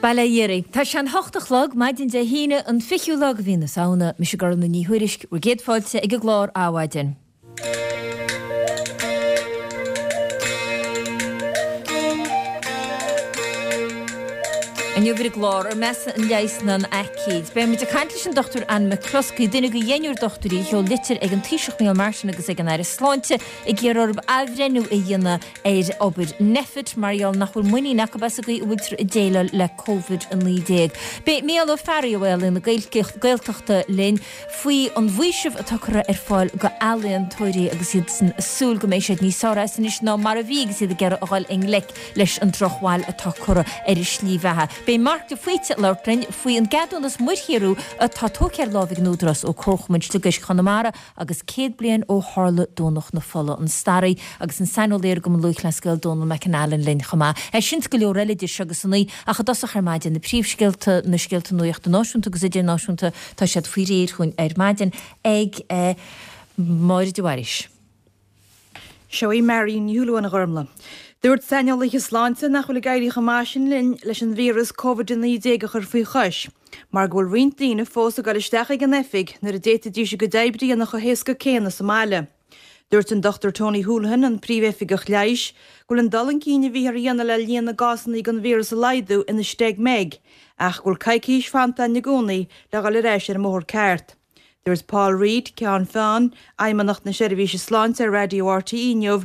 Bail ó Dhia oraibh. Tá sé an hocht a chlog, maidin Dé hAoine, an fichiú lá de mhí na Samhna. Mise Gormfhlaith Ní Thuairisg, bhur gcéad fáilte ag an gclár Adhmhaidin. Inniu ar an gclár, ar measa an leigheas ná an aicíd? Beidh muid ag caint leis an Dr Ann McCluskey, duine de dheichniúr dochtúirí a sheol litir ag an Taoiseach Micheál Martin agus ag an Aire Sláinte ag iarraidh orthu athbhreithniú a dhéanamh ar obair Nphet mar gheall nach bhfuil muinín acu as an gcaoi a bhfuiltear ag déileáil le Covid-19. Beidh Mícheál Ó Fearraigh ó Ealaín na Gaeltachta linn faoi an bhfaoiseamh atá curtha ar fáil go ealaíontóirí agus iadsan ag súil go mbeidh siad níos fearr as anois ná mar a bhí agus iad ag iarraidh a dhul i ngleic leis an drochbhail atá curtha ar a slí bheatha. Beidh Mark de Faoite ag labhairt linn faoi an gceadúnas muirshaothrú atá tógtha ar láimh ag an Údarás ó Comharchumann Sliogéisc Chonamara agus 100 bliain ó tharla Domhnach na Fola, an staraí agus an saineolaí ar an gCumann Lúthchleas Gael Dónal McAnallen linn chomh maith. É sin 's go leor eile idir seo agus a naoi ach i dtosach ar maidin na príomhscéalta, na scéalta nuachta náisiúnta agus idirnáisiúnta, tá siad faoi réir chugainn ar maidin ag Máire de Bhailís. Seo í Marion Ní Shúilleabháin a Ghormfhlaith. Dúirt saineolaithe sláinte nach bhfuil ag éirí chomh maith sin linn leis an víreas Covid-19 a chur faoi chois mar go bhfuil roinnt daoine fós ag dul isteach ag an oifig nuair a d'fhéadfaidís a gcuid oibre a dhéanamh chomh héasca céanna sa mbaile. Dúirt an Dr Tony Holohan, an Príomhoifigeach Leighis, go bhfuil an dul chun cinn a bhíothar a dhéanamh le líon na gcásanna den víreas a laghdú ina steig mbeag ach go bhfuil coicís fanta againn i gcónaí le dhul ar ais ar an mbóthar ceart. Dúirt Paul Reid, Ceann Feadhain Fheidhmeannacht na Seirbhíse Sláinte ar Raidió RTÉ inniu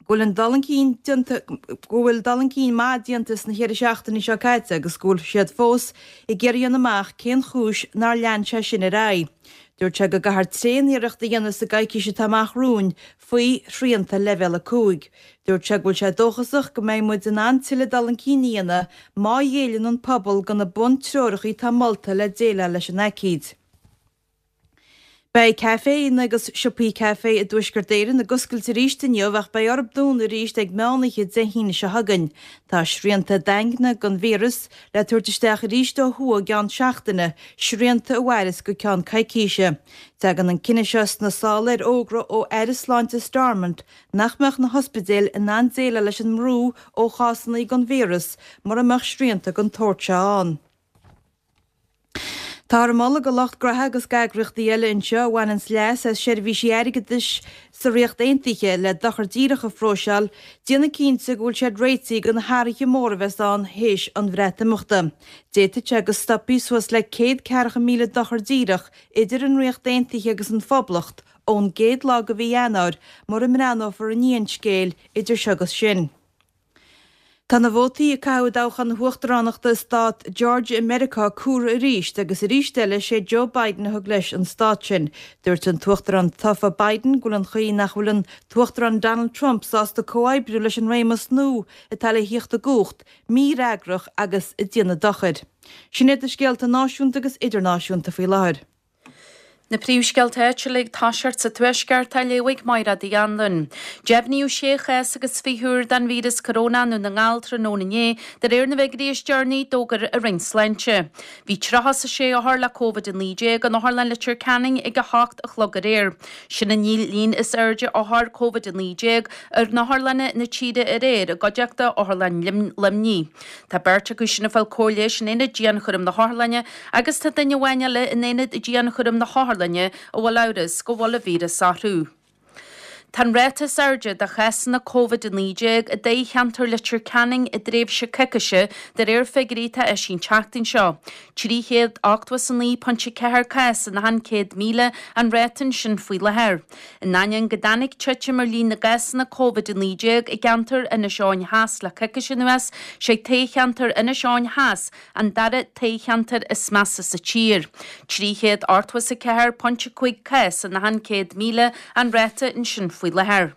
go bhfuil an dul chun cinn déanta go bhfuil dul chun cinn maith déanta sna cheithre seachtainí seo caite agus go bhfuil siad fós ag iarraidh a dhéanamh amach cén chúis nár lean sé sin ar aghaidh. Dúirt sé go gcaithfear tréan-iarracht a dhéanamh sa gcoicís atá amach romhainn faoi shrianta leibhéal 5. Dúirt sé go bhfuil sé dóchasach go mbeidh muid in ann tuilleadh dul chun cinn a dhéanamh má ghéilleann an pobal do na buntreoracha atá molta le déileáil leis an aicíd. Beidh caiféanna agus siopaí caife i dTuaisceart Éireann ag oscailt arís inniu ach beidh orthu dúnadh arís ag meán oíche Dé hAoine seo chugainn. Tá srianta daingne don víreas le tabhairt isteach arís ó thuaidh i gceann seachtaine, srianta a mhairfeas go ceann coicíse. Tagann an cinneadh seo sna sála ar fhógra ó Aire Sláinte Stormont nach mbeadh na hospidéil in ann déileáil leis an mbrú ó chásanna den víreas mura mbeadh srianta den tsórt seo ann. Táthar ag moladh do lucht graithe agus d'eagraíochtaí eile anseo a bhaineanns leas as seirbhísí airgeadais sa Ríocht Aontaithe le dochar díreach a phróiseáil, déanamh cinnte go bhfuil siad réitithe do na hathruithe móra a bheas ann théis an Bhreatimeachta. D'fhéadfadh sé go stopfaí suas le 140,000 dochar díreach idir an Ríocht Aontaithe agus an Phoblacht ón gcéad lá de mhí Eanáir mura mbreathnófar i ndiaidh an scéil idir seo agus sin. Tá na vótaí a caitheadh i dtoghchán na huachtaránachta i stát Georgia i Meiriceá cuartha arís agus arís eile sé Joe Biden a thug leis an stát sin. Dúirt an tUachtarán tofa Biden go bhfuil an chaoi nach bhfuil an tUachtarán Donald Trump sásta comhoibriú leis an réimeas nua atá le thíocht i gcumhacht mífhreagrach agus ag déanamh dochair. Sin iad na scéalta náisiúnta agus idirnáisiúnta faoi láthair. Na príomhscéalta áitiúla ag toiseacht sa Tuaisceart á léamh ag Máire Uí Anluain. Deimhníodh sé chás agus 20 úr den víreas coróna i nDún na nGall tráthnóna inné, de réir na bhfigiúirí is deireanaí a d'fhógair an Roinn Sláinte. Bhí 36 othar le Covid-19 in Otharlann Leitir Ceanainn ag 8 a chlog aréir. Sin an líon is airde othar Covid-19 ar otharlanna na tíre aréir i gcuideachta Otharlann Luimnigh. Tá beirt acu sin ag fáil cóir leighis in aonad dianchúraim na hotharlainne agus tá duine amháin eile in aonad dianchúraim na hotharlainne a bhfuil amhras go bhfuil an víreas orthu. Tá an ráta is airde de chásanna Covid-19 i dtoghcheantar Leitir Ceanainn i dtréimhse coicíse de réir figiúirí atá eisithe an tseachtain seo. 389.4 cás in achan 100,000 an ráta ansin faoi láthair. In ainneoin go dtáinig titim ar líon na gcásanna Covid-19 i gceantar Inis Eoghain Theas le coicís anuas, sé toghcheantar Inis Eoghain Theas an dara toghcheantar is measa sa tír. 384.5 cás in achan 100,000 an ráta ansin faoi láthair.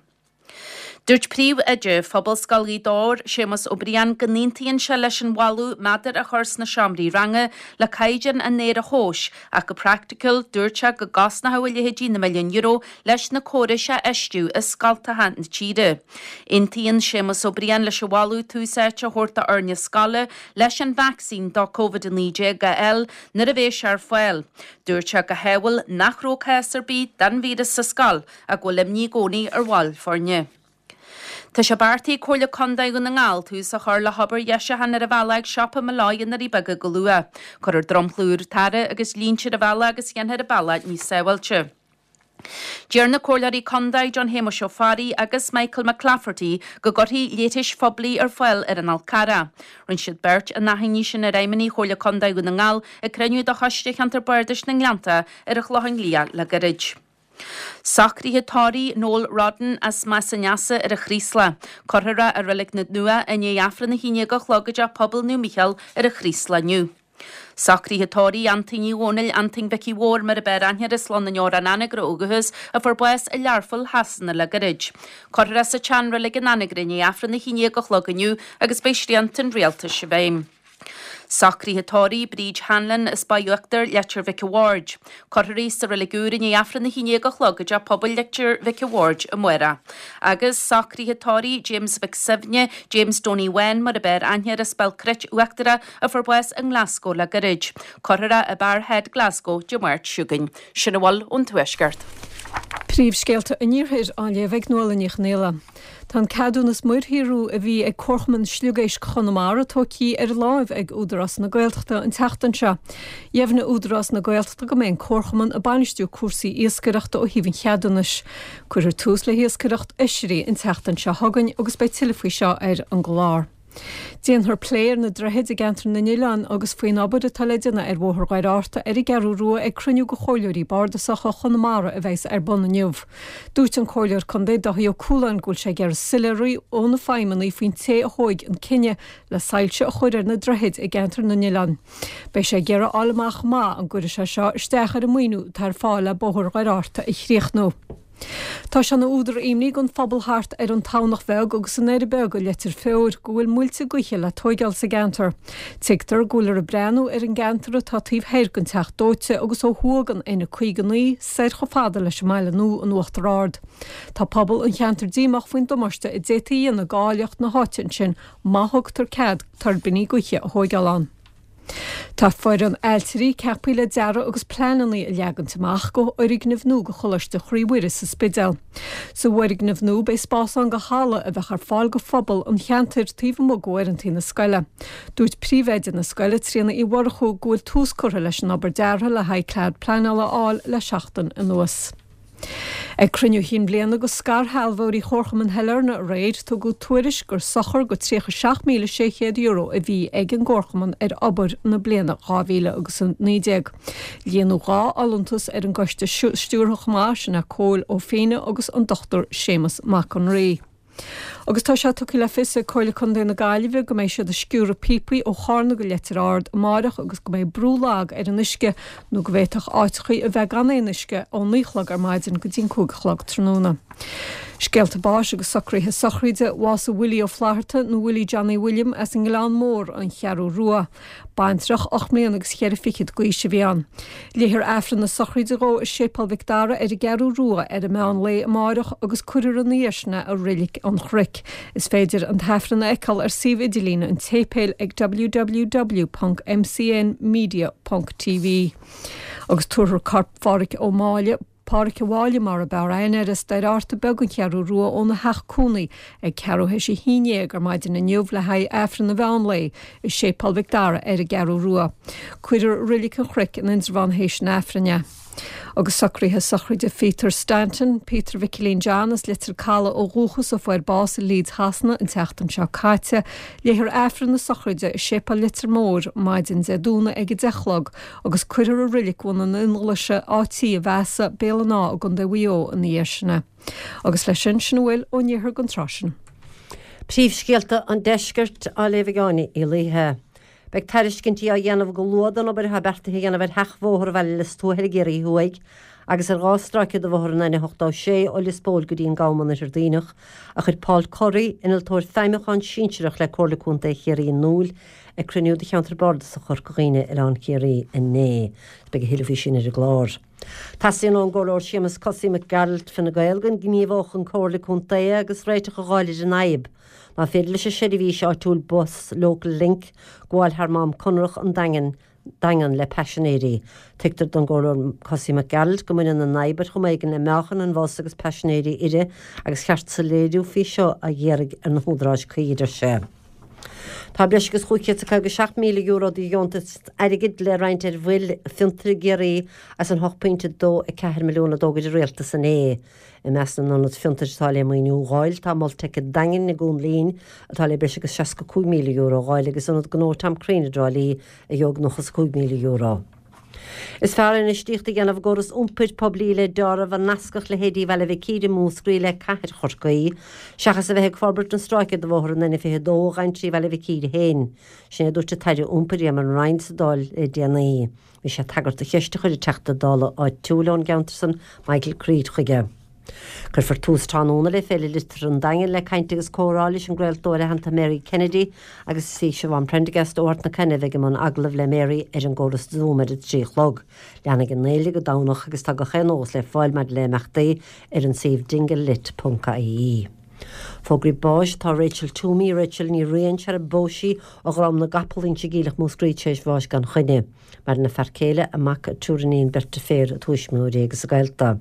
Dúirt Príomh-Oide Phobalscoil Ghaoth Dobhair, Séamus Ó Briain, go n-aontaíonn sé leis an mholadh meadair a chur sna seomraí ranga le caighdeán an aeir a thomhas ach go praiticiúil dúirt sé go gcosnódh a leithéidí na milliúin euro leis na córais a fheistiú i scoltacha na tíre. Aontaíonn Séamus Ó Briain leis an mholadh tús áite a thabhairt d'fhoirne scoile leis an vacsaín do Covid-19 a fháil nuair a bheidh sé ar fáil. Dúirt sé go hádhúil nach raibh cás ar bith den víreas sa scoil ach go bhfuil imní i gcónaí ar bhaill foirne. Tá sé beartaithe ag Comhairle Contae Dhún na nGall tús a chur le hobair dheisiúcháin ar an bhealach ag siopa Molloy i nDoirí Beaga go luath. Cuirfear dromchla úr tarra agus línte ar an bhealach agus dhéanfar an bealach níos sábháilte. Deir na Comhairleoirí Contae John Shéamuis Ó Fearraigh agus Michael McClafferty go gcuirfí leithris phoiblí ar fáil ar an Fhál Carrach. Rinne siad beirt an achainí sin ar fheidhmeannaigh Chomhairle Contae Dhún na nGall ag cruinniú de Choiste Cheantar Bardais na nGleannta ar an Chlochán Liath le gairid. Socruithe tórraimh Noel Rodden as Más an Easa ar an Chraoslach. Cuirfear é i Reilig na Dumhcha i ndiaidh Aifreann 11 a chlog i dTeach Pobail Naomh Mícheál ar an Chraoslach inniu. Socruithe tórraimh Antoin Uí Dhónaill, Antoin Mhicí Mhóir mar ab fhearr aithne air as Lon an Fheoráin Anagaire ó dhúchas, a fuair bás i Learpholl Shasana le gairid. Cuirfear é sa tseanreilig in Anagaire i ndiaidh Aifreann 11 a chlog inniu agus beidh srianta an rialtais i bhfeidhm. Socruithe tórraimh Bríd Hanlon as Baile Uachtair, Leitir Mhic a' Bhaird. Cuirfear í sa Reilig Úr i ndiaidh Aifreann 11 a chlog i dTeach Pobail Leitir Mhic a' Bhaird amárach. Agus socruithe tórraimh James Mhic Suibhne, James Donie Bháin mar ab fhearr aithne air as Béal Cruit Uachtarach a fuair bás i nGlasgow le gairid. Cuirfear é i Barrhead, Glasgow, Dé Máirt seo chugainn. Sin a bhfuil ón Tuaisceart. Príomhscéalta an Iarthair á léamh ag Nuala Ní Chonghaile. Tá an ceadúnas muirshaothrú a bhí ag Comharchumann Sliogéisc Chonamara tógtha ar láimh ag Údarás na Gaeltachta an tseachtain seo. Dheimhnigh Údarás na Gaeltachta go mbeidh an Comharchumann ag bainistiú cúrsaí iascaireachta ó thaobh an cheadúnais. Cuirfear tús le hiascaireacht oisrí an tseachtain seo chugainn agus beidh tuilleadh faoi seo ar an gclár. Déanfar plé ar na droichid i gCeantar na nOileán agus faoin obair atá le déanamh ar Bhóthar Dhoire Fhearta ar an gCeathrú Rua ag cruinniú de Chomhairleoirí Bardasacha Chonamara a bheas ar bun inniu. Dúirt an Comhairleoir Contae Dáithí Ó Cualáin go bhfuil sé ag iarraidh soiléiriú ó na feidhmeannaigh faoin té a thóig an cinneadh le soilse a chur ar na droichid i gCeantar na nOileán. Beidh sé ag iarraidh a fháil amach chomh maith an gcuirfidh sé seo isteach ar an maoiniú atá ar fáil le Bóthar Dhoire Fhearta a chríochnú. Tá sé ina údar imní don phobal thart ar an Tamhnach Bheag agus an Doire Beag i Leitir Feoir go bhfuil muilte gaoithe le tóigeáil sa gceantar. Tuigtear go bhfuiltear ag breathnú ar an gceantar atá taobh thoir den Teach Dóite agus ó thuaidh den N59 soir chomh fada leis an mBaile Nua in Uachtar Ard. Tá pobal an cheantair díomách faoin damáiste a d'fhéadfaí a dhéanamh d'áilleacht na háite ansin má thugtar cead tuirbíní gaoithe a thóigeáil ann. Tá foireann ailtirí ceaptha le dearadh agus pleananna a leagaint amach do fhoirgneamh nua do Choláiste Chroí Mhuire sa Spidéal. Sa bhfoirgneamh nua beidh spás ann do halla a bheadh ar fáil do phobal an cheantair taobh amuigh d'uaireanta na scoile. Dúirt príomhoide na scoile, Tríona Uí Mhurchú, go bhfuil tús curtha leis an obair deartha le haghaidh cead pleanála a fháil le seachtain anuas. Ag cruinniú chinn bliana de scairshealbhóirí Chomharchumann Shailearna aréir, tugadh tuairisc gur sochar de €37,600 a bhí ag an gComharchumann ar obair na bliana 2019. Líonadh 2 fholúntas ar an gcoiste stiúrtha chomh maith, sin é Cóil Ó Fianna agus an Dr Séamus Mac an Rí. Agus tá sé tugtha le fios ag Comhairle Contae na Gaillimhe go mbeidh siad ag sciúradh píopaí ó Chárna go Leitir Ard amáireach agus go mbeidh brú lag ar an uisce nó go bhféadfadh áiteachaí a bheith gan aon uisce ó 9 a chlog ar maidin go dtí an 5 a chlog tráthnóna. Scéalta báis agus socruithe sochraide, Bhásaigh Willie Ó Flatharta nó Willie Johnny William as an nGleann Mór, An Cheathrú Rua. Baintreach 8 mbliana agus cheithre fichid d'aois a bhí ann. Léifear Aifreann na sochraide dhó i Séipéal Mhic Dara ar an gCeathrú Rua ar an meán lae amáireach agus cuirfear ina dhiaidh sin é i Reilig an Chnoic. Is féidir an tAifreann a fheiceáil ar suíomh idirlín an tséipéil ag www.mcnmedia.tv. Agus tabharfar corp Phádhraic Ó Máille, Pádhraic a' Mháille mar ab fhearr aithne air as Doire Fhearta Beag an Cheathrú Rua óna theach cónaí ag ceathrú théis a haon dhéag ar maidin inniu le haghaidh Aifreann an mheán lae i Séipéal Mhic Dara ar an gCeathrú Rua. Cuirfear i Reilig an Chnoic in Indreabhán théis an Aifrinn é. Agus socruithe sochraide Pheter Stanton, Peter Mhicilín John as Leitir Caladh ó dhúchas a fuair bás i Leeds Shasana an tseachtain seo caite, léifear Aifreann na sochraide i Séipéal Leitir Móir maidin Dé Domhnaigh ag 10 a chlog agus cuirfear i Reilig Bhun an Fhionnghlaise, Áth Tí a Mheasa, Béal an Átha i gContae Mhaigh Eo ina dhiaidh sin é. Agus leis sin, sin a bhfuil ón iarthar don tráth sin. Príomhscéalta an Deiscirt á léamh ag Áine Uí Laoithe. Beidh tairiscintí á dhéanamh go luath don obair atá beartaithe a dhéanamh ar sheachbhóthar Bhaile Lios Tuathail i gCiarraí Thuaidh agus ar 2 stráice de bhóthar an N86 ó Lios Póil go dtí an Gabhal in Oirthear Duibhneach, a chuir Paul Curry, Innealtóir Feidhmiúcháin Sinsearach le Comhairle Contae Chiarraí in iúl ag cruinniú de Cheantar Bardasach Chorca Dhuibhne, Oileán Chiarraí, inné. Beidh a thuilleadh faoi sin ar an gclár. Teastaíonn ón gComhairleoir Séamus 'Cosaí' Mac Gearailt, Fine Gael, go ngníomhódh an Comhairle Contae agus réiteach a dh'fháil ar an fhadhb. Ná féidir leis an seirbhís áitiúil bus Local Link gabháil thar Mám Conrach an Daingin. Daingean le paisinéirí. Tuigtear don gComhairleoir Kosie Mac Gearailt go mbaineann an fhadhb ar chuma éigin le meáchan an bhus agus paisinéirí uirthi agus cheart soiléiriú faoi seo a iarraidh ar na húdaráis cuí, a deir sé. Tá breis agus €557,000 de dheontas airgid le roinnt ar mhoil fiontair i gCiarraí as an 8.24 milliún a d'fhógair an Rialtas inné. I measc na n-ionad fiontair atá le maoiniú a dh'fháil tá Mol Teic an Daingin i gCuan Lín atá le breis agus €65,000 a dh'fháil agus Ionad Gnó Tom Crean i dTrá Lí a gheobhaidh €95,000. Is fearr infheistíocht a dhéanamh i gcóras iompair poiblí le deáramh a nascfadh leithéidí Bhaile Mhic Íre i Múscraí le cathair Chorcaí, seachas a bheith ag forbairt an stráice de bhóthar an N22 a ghabhann trí Bhaile Mhic Íre féin. Sin é a dúirt an tAire Iompair Eamon Ryan sa Dáil le déanaí. Bhí sé ag tagairt do cheist a chuir an Teachta Dála áitiúil ón gceantar san, Michael Creed, chuige. Cuirfear tús tráthnóna le Féile Liteartha an Daingin le caint agus comhrá leis an gcraoltóir aitheanta Mary Kennedy agus is í Siobhán Prendergast ó Ard na Caithne a bheidh i mbun agallamh le Mary ar an gcóras Zoom ar a 3 a chlog. Leanfaidh an fhéile go Domhnach agus tá gach aon eolas le fáil maidir le himeachtaí ar an suíomh dinglelit.ie. Fógraí báis Tá Rachel Toomey, Rachel Ní Riain, sar a phós sí, ó Dhrom na gCapall, Inse Geimhleach, Múscraí, tar éis bháis gan choinne. Maireann a fear céile, a mac, a triúr iníon, beirt deirféar, a tuismitheoirí agus a gaolta.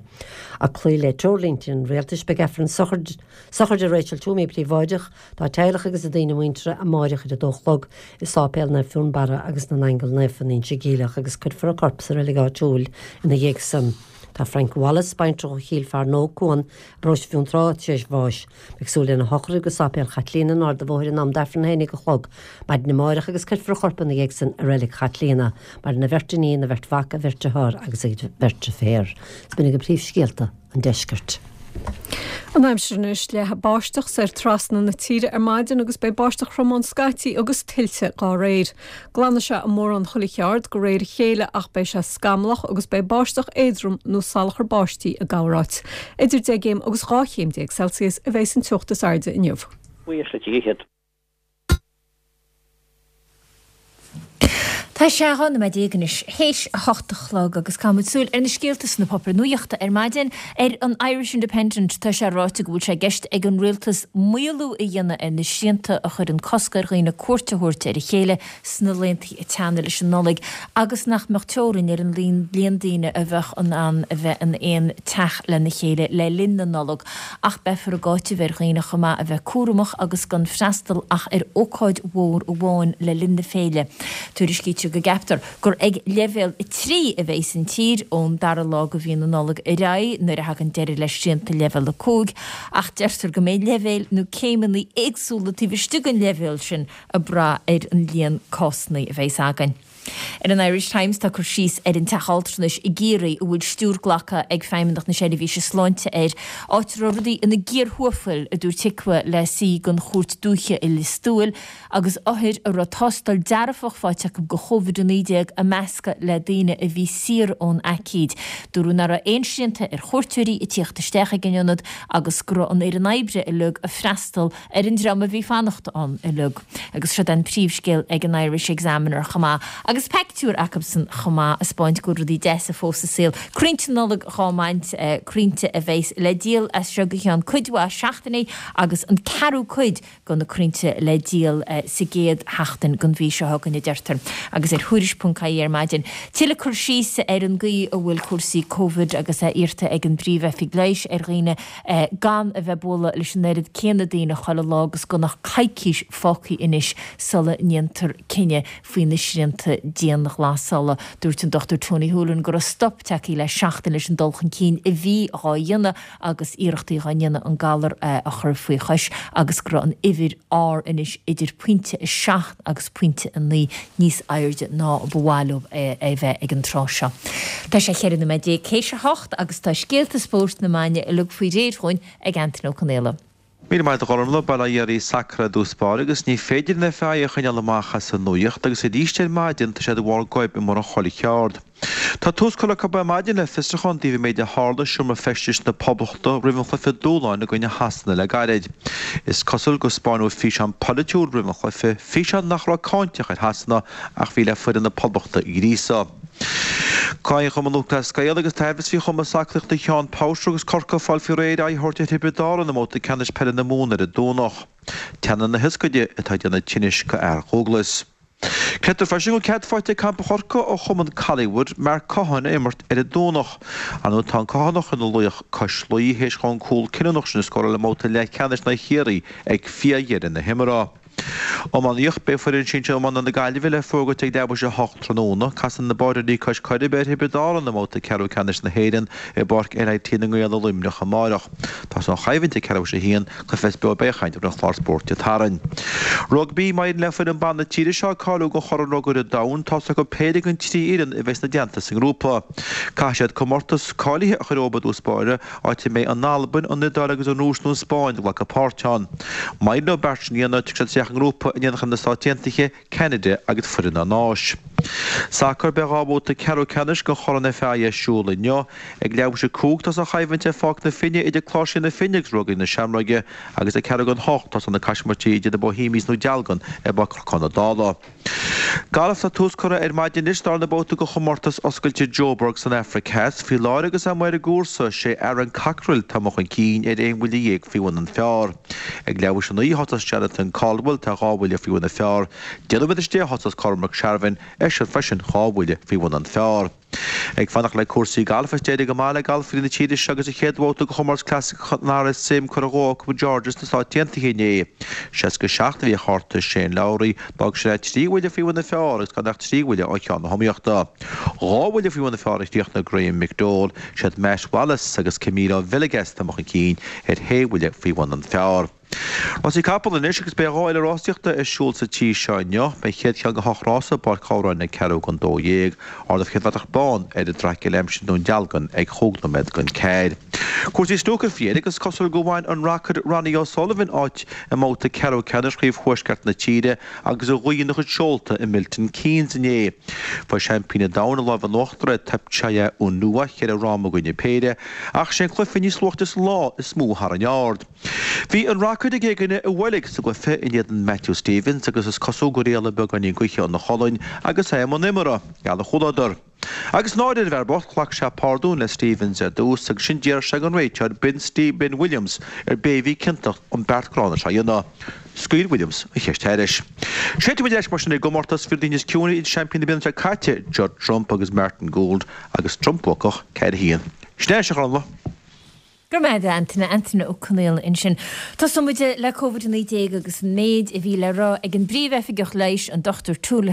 Ag cloí le treoirlínte an Rialtais, beidh Aifreann sochraide Rachel Toomey príobháideach dá teaghlach agus a daoine muinteartha amáireach ar a dó a chlog i Sáipéal Naomh Fionnbarra agus na nAingeal Naofa in Inse Geimhleach agus cuirfear a corp sa reilig áitiúil ina dhiaidh san. Tá Frank Wallace, baintreach ó Chill Fearnóg, Cuan, i bparóiste Fionntrá, tar éis bháis. Beidh súil lena shochraid go Sáipéal Chaitlíona in Ard a' Bhóthair in am d'Aifreann a haon déag a chlog maidin amáireach agus cuirfear a chorp ina dhiaidh san i Reilig Chaitlíona. Maireann a bheirt iníon, a bheirt mhac, a bheirt dearthár agus a bheirt deirféar. Is b'in agaibh príomhscéalta an deiscirt. An aimsir anois, leathfaidh báisteach soir trasna na tíre ar maidin agus beidh báisteach throm ann scaití agus tuilte dá réir. Glanfaidh sé i mórán chuile cheard de réir a chéile ach beidh sé scamallach agus beidh báisteach éadrom nó salachar báistí i gcorráit. Idir 10 gcéim agus 12 chéim Celsius a bheidh an teocht is airde inniu. Buíochas le Dia iad. Tá sé 12 nóiméad anois théis a hocht a chlog agus caithfidh muid súil ar na scéalta sna páipéir nuachta ar maidin. Ar an Irish Independent tá sé ráite go bhfuil sé i gceist ag an rialtas maolú a dhéanamh ar na srianta a chuireann cosc ar dhaoine cuairt a thabhairt ar a chéile sna laethanta ag teannadh leis an Nollaig agus nach mbeadh teorainn ar an líon daoine a bheadh in ann a bheith in aon teach lena chéile le linn na Nollag. Ach beifear ag áiteamh ar dhaoine chomh maith a bheith cúramach agus gan freastal ach ar ócáid mhór amháin le linn na féile. Tuairiscítear go gceaptar gur ag leibhéal 3 a bheas an tír ón dara lá de mhí na Nollag ar aghaidh nuair a thagann deireadh le srianta leibhéal 5 ach deirtear go mbeidh leibhéil nó céimeanna éagsúla taobh istigh den leibhéal sin ag brath ar an líon cásanna a bheas againn. Ar an Irish Times tá cur síos ar an teach altranais i gCiarraí a bhfuil stiúir glactha ag Feidhmeannacht na Seirbhíse Sláinte air, áit a raibh rudaí ina gcíor thuathail, a dúirt HIQA le suí den Chúirt Dúiche i Lios Tuathail, agus othair a raibh tástáil dearfach faighte acu do Covid-19 ag meascadh le daoine a bhí saor ón aicíd. Dúradh nach raibh aon srianta ar chuairteoirí ag tíocht isteach ag an ionad agus go raibh an fhoireann oibre uilig ag freastal ar an dream a bhí fanacht ann uilig. Agus siod an príomhscéal ag an Irish Examiner chomh maith. Agus peictiúr acubsan chomh maith a 'spáint go bhfuil rudaí deasa fós sa saol. Crainnte Nollag dhá mbaint, crainnte a bheas le díol as seo go ceann cuid mhaith seachtainí agus an ceathrú cuid de na crainnte le díol sa gcéad sheachtain den mhí seo chugainn, a deirtear. Agus ar Thuairisc.ie ar maidin, tuilleadh cur síos ar an gcaoi a bhfuil cúrsaí Covid agus é iarrta ag an bPríomh-Oifig Leighis ar dhaoine gan a bheith ag bualadh leis an oiread céanna daoine chuile lá agus gan ach coicís fágtha anois sula ndéantar cinneadh faoi na srianta dianghlasála. Dúirt an Dr Tony Holohan go raibh stop tagtha le seachtain leis an dul chun cinn a bhí dhá dhéanamh agus iarrachtaí dhá ndéanamh an galar a chur faoi chois agus go raibh an uimhir R anois idir pointe 7 agus pointe 9 níos airde ná ba mhaith leo é a bheith ag an tráth seo. Tá sé 14 nóiméad théis a hocht agus tá scéalta spóirt na maidine uilig faoi réir dhúinn ag Antain Ó Conaola. Míle maith agat a Ghormfhlaith, Bail ó Dhia ar sacar i dtús báire agus ní féidir an FAI a choinneáil amach as an nuaíocht agus arís ar maidin tá siad ar bharr goib i mórán chuile cheard. Tá tús curtha acu ar maidin le fiosrúchán i dtaobh an méid a tharla i seomra feistis na Poblachta roimh an chluiche dúshláin i gcoinne Shasana le gairid. Is cosúil gur spáineadh físeán polaitiúil roimh an chluiche, físeán nach raibh cáinteach ar Shasana ach bhí le foireann na Poblachta a ghríosadh. Cluiche Chumann Lúthchleas Gael agus taibhreamh faoi chumas aclaíochta Sheán Powter agus Corcaigh ag fáil faoi réir aghaidh a thabhairt ar Thiobraid Árann i mbabhta ceannais peile na Mumhan ar an Domhnach. Teannán na hioscaide atá ag déanamh tinnis do fhear Dhúghlais. Creidtear freisin go bhfuil cead faighte ag Campa Chorcaí ó chumann Collingwood Mark Cohon a imirt ar an Domhnach. Ar ndóigh tá an Cothánach ina laoch cois Laoi théis dhó an cúl cinniúnach sin a scóráil i mbabhta leathcheannais in aghaidh Chiarraí ag fíordheireadh na himeartha. Iománaíocht, Beidh foireann sinsir iomána na Gaillimhe le fógairt ag leathuair tar éis a 8 tráthnóna. Casann na Báireoirí cois Coiribe ar Thiobraid Árann i mbabhta ceathrú ceannais na hÉireann i bPáirc LIT na nGael i Luimneach amárach. Tosóidh an choimhlint ag ceathrú tar éis a haon, cluiche a bheas beo ar Beochaint ar an chlár Spórt Dé Sathairn. Rugbaí, Má éiríonn le foireann ban na tíre seo cáiliú don Chorn Rugair an Domhain, tá's acu péire den trí fhoireann a bheas ina dteannta sa ngrúpa. Caithfidh siad comórtas cáilithe a chur uathu i dtús báire, áit a mbeidh an Albain, an Iodáil agus an Rúis nó an Spáinn ag glacadh páirt ann. Má éiríonn leo an beart sin a dhéanamh, tiocfaidh siad isteach i ngrúpa in éineacht leis na Stáit Aontaithe, Ceanada agus foireann an Áis. Sacar, Beidh 2 bhabhta ceathrú ceannais den Chorn FAI ar siúl inniu. Ag leathuair tar éis a 5 tosóidh an choimhlint ar Pháirc na Finne idir Cláirsigh na Finne agus Ruagairí na Seamróige agus ag ceathrú don hocht tosóidh na caismirtí idir na Bohemians nó Dealgan ar Pháirc Chnocán na Dála. Galf, Tá tús curtha ar maidin anois darna babhta de chomórtas oscailte Joburg san Afraic Theas. Faoi láthair agus é amuigh ar an gcúrsa, sé Aaron Cockerill atá amuigh chun cinn ar aon bhuille dhéag faoi bhun an phar. Ag leathuair tar éis a 9 a thosós Jonathan Caldwell, tá 2 bhuille faoi bhun an phar. 10 nóiméad tar éis 10 a thosós Cormac Sharvin, eisean freisin 2 bhuille faoi bhun an phar. Ag fanacht le cúrsaí gailf, is d'éirigh go maith le galfairí na tíre seo agus an chéad bhabhta de chomórtas clasaiceach an RSM curtha dhó acu i Georgia sna Stáit Aontaithe inné. 67 a bhí ar chárta Shane Lowry, d'fhág sin é 3 bhuille faoi bhun an phar agus gan ach 3 bhuille ó cheann na hiomaíochta. 2 bhuille faoi bhun an phar a chríochnaigh Graham McDowell, siad Matt Wallace agus Camilo Villegas atá amuigh chun cinn ar shé bhuille faoi bhun an phar. Rásaí capall anois agus beidh 2 fhéile rásaíochta ar siúl sa tír seo inniu. Beidh an chéad cheann de hocht rása i bPáirc Ghabhráin ag ceathrú don 12. Ardófar an chéad bhratach bán ar an traic eile aimsir i nDún Dealgan ag chúig nóiméad don ceathair. Cúrsaí snúcair faoi dheireadh agus is cosúil gur bhain an Rocaire Ronnie O'Sullivan áit i mbabhta ceathrú ceannais Chraobh Thuaisceart na tíre agus a ghaoth ina chuid seolta i Milton Keynes inné. Fuair seaimpín an domhain an lámh in uachtar ar Thepchaiya Un-Nooh, cheithre fhráma i gcoinne péire, ach sé an cluiche níos luaite sa lá is mó a tharraing aird. Bhí an Rocaire ag éagaine i bhfolach sa gcluiche in éadan Matthew Stevens agus is cosúil gur éalaigh beagáinín gaoithe óna cholainn agus é i mbun imeartha, gheall ar chúladar. Agus náire ar an bhfear bocht, ghlac sé pardún le Stevens ar dtús agus ansin d'iarr sé den réiteoir Ben Ben Williams ar b'é a bhí ciontach an beart gránna seo a dhéanamh. Scaoil Williams an cheist thairis. Séidfidh muid ar ais mar sin i gcomórtas fir daoine níos ciúine idir seaimpín na bliana seo caite, Judd Trump agus Martin Gould agus Trump buacach 4-1. Sin é, a Ghormfhlaith. Go raibh maith agat, a Antaine. Antaine Ó Conaola ansin. Tosóidh muid le Covid-19 agus an méid a bhí le rá ag an bPríomh-Oifigeach Leighis, an Dr Tony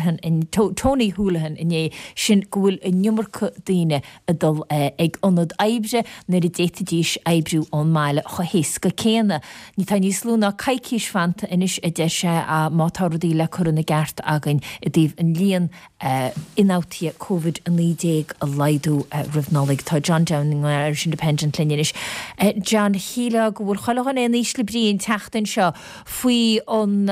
Holohan inné, sin go bhfuil an iomarca daoine ag dul ag ionad oibre nuair a d'fhéadfaidís oibriú ón mbaile chomh héasca céanna. Tá níos lú ná coicís fanta anois, a deir sé, má tá rudaí le cur ina gceart againn i dtaobh an líon ionfhabhtuithe Covid-19 a laghdú roimh Nollaig. Tá John Downing ón Irish Independent linn anois. John, shílfeá go bhfuil chuile dhuine in ísle brí an tseachtain seo faoi an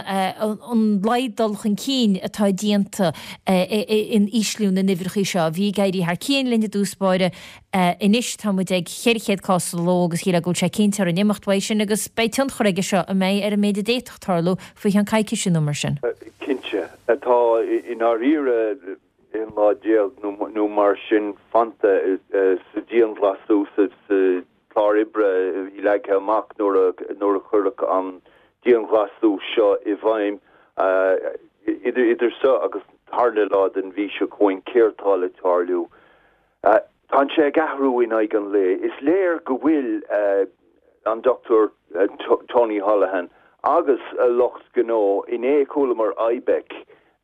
laghad dul chun cinn atá déanta in ísliú na n-uimhreacha seo. Bhí ag éirí thar cionn linn i dtús báire. Anois tá muid ag 400 cás sa ló agus shílfeá go bhfuil sé cinnte orainn imeacht uaidh sin agus beidh tionchar aige seo, an mbeidh, ar an méid a d'fhéadfadh tarlú faoi cheann coicíse nó mar sin. Cinnte. Tá i ndáiríre 11 lá nó mar sin fanta sa dianghlasáil, sa chlár oibre a bhí leagtha amach nuair a cuireadh an dianghlasáil seo i bhfeidhm. Idir seo agus an tarna lá den mhí seo chugainn, céard tá le tarlú? Tá sé ag athrú in aghaidh an lae. Is léir go bhfuil an Dr Tony Holohan agus a lucht gnó, inné chualamar IBEC,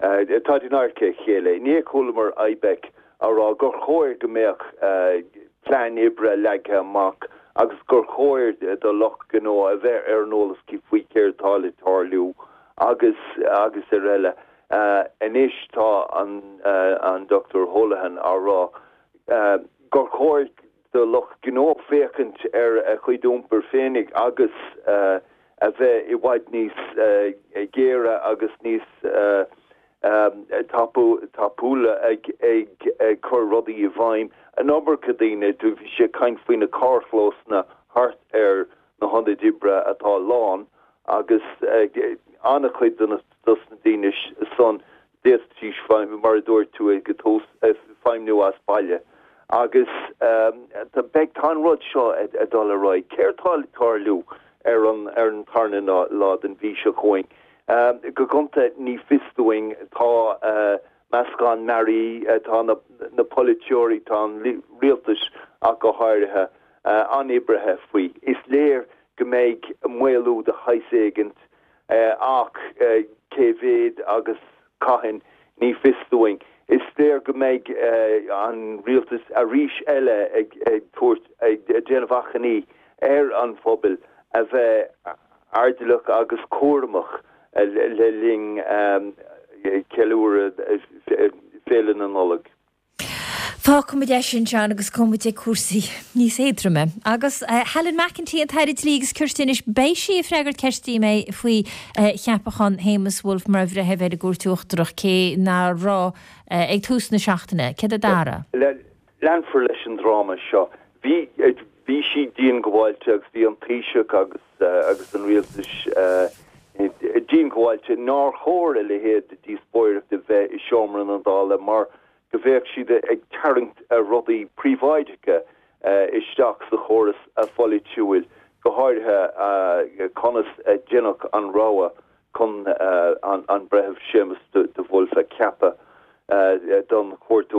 táid in adharca a chéile, inné chualamar IBEC á rá gur chóir go mbeadh plean oibre leagtha amach agus gur chóir do lucht gnó a bheith ar an eolas faoi céard atá le tarlú agus agus araile. Anois tá an Dr Holohan á rá gur chóir do lucht gnó féachaint ar a chuid iompair féinig agus a bheith i bhfad níos géire agus níos tapúla ag cur rudaí i bhfeidhm. An iomarca daoine, bhí sé ag caint faoi na carrchlósanna thart ar na hionaid oibre atá lán agus an-chuid de na dos na daoine san d'fhéadfaidís feidhmiú, mar a dúirt tú ag an tús, feidhmiú as baile. Agus beidh, tá an rud seo ag dul ar aghaidh. Céard tá le tarlú ar an ar an tarna lá den mhí seo chugainn? Go gonta ní fios dúinn. Tá meascán mearaí, tá na polaiteoirí, tá an rialtas ach go háirithe, an-oibrithe faoi. Is léir go mbeidh maolú de shaghas éigint ach cé mhéad agus cathain, ní fios dúinn. Is léir go mbeidh an rialtas arís eile ag tabhairt, ag déanamh achainí ar an phobal a bheith airdeallach agus cúramach le linn cheiliúradh Féile na Nollag. Fágfaimid é sin, John, agus gabhfaimid ag cúrsaí níos éadroime. Agus Helen McEntee, an tAire Dlí agus Cirt anois, beidh sí ag freagairt ceiste uaim faoi cheapachán Shéamus Woulfe mar bhreitheamh ar an gCúirt Uachtarach, cé ná raibh ag tús na seachtaine. Céard a Dara? Leanfar leis an dráma seo. Bhí bhí sí diongbháilte agus bhí an Taoiseach agus agus an rialtas diongbháilte nár chóir a leithéid de díospóireacht a bheith i seomra na Dála mar go mbeadh siad ag tarraingt rudaí príobháideacha isteach sa chóras pholaitiúil, go háirithe conas a deineadh an rogha chun an Breitheamh Séamus de Bhulf a cheapadh don Chúirt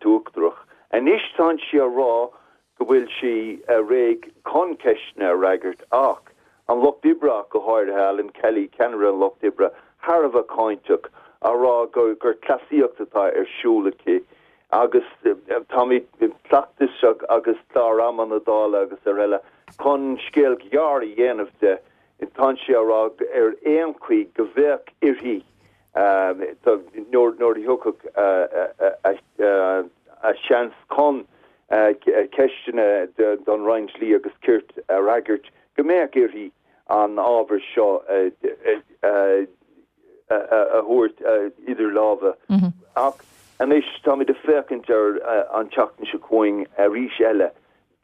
Uachtarach. Anois tánn sí á rá go bhfuil sí réidh chun ceisteanna a fhreagairt ach an Lucht Oibre ach go háirithe, Alan Kelly, ceannaire an Lucht Oibre, thar a bheith cáinteach, á rá gur cleasaíocht atá ar siúl aici agus táimid cleachtais agus clár ama na Dála agus araile chun scéal gearr a dhéanamh de, tánn sí á rá ar aon chaoi go bheadh uirthi nuair a thiocfadh a seans chun ceisteanna don Roinn Dlí agus Cirt a fhreagairt, go mbeadh uirthi an ábhar seo a thabhairt idir lámha. Ach anois táimid ag féachaint ar an tseachtain seo chugainn arís eile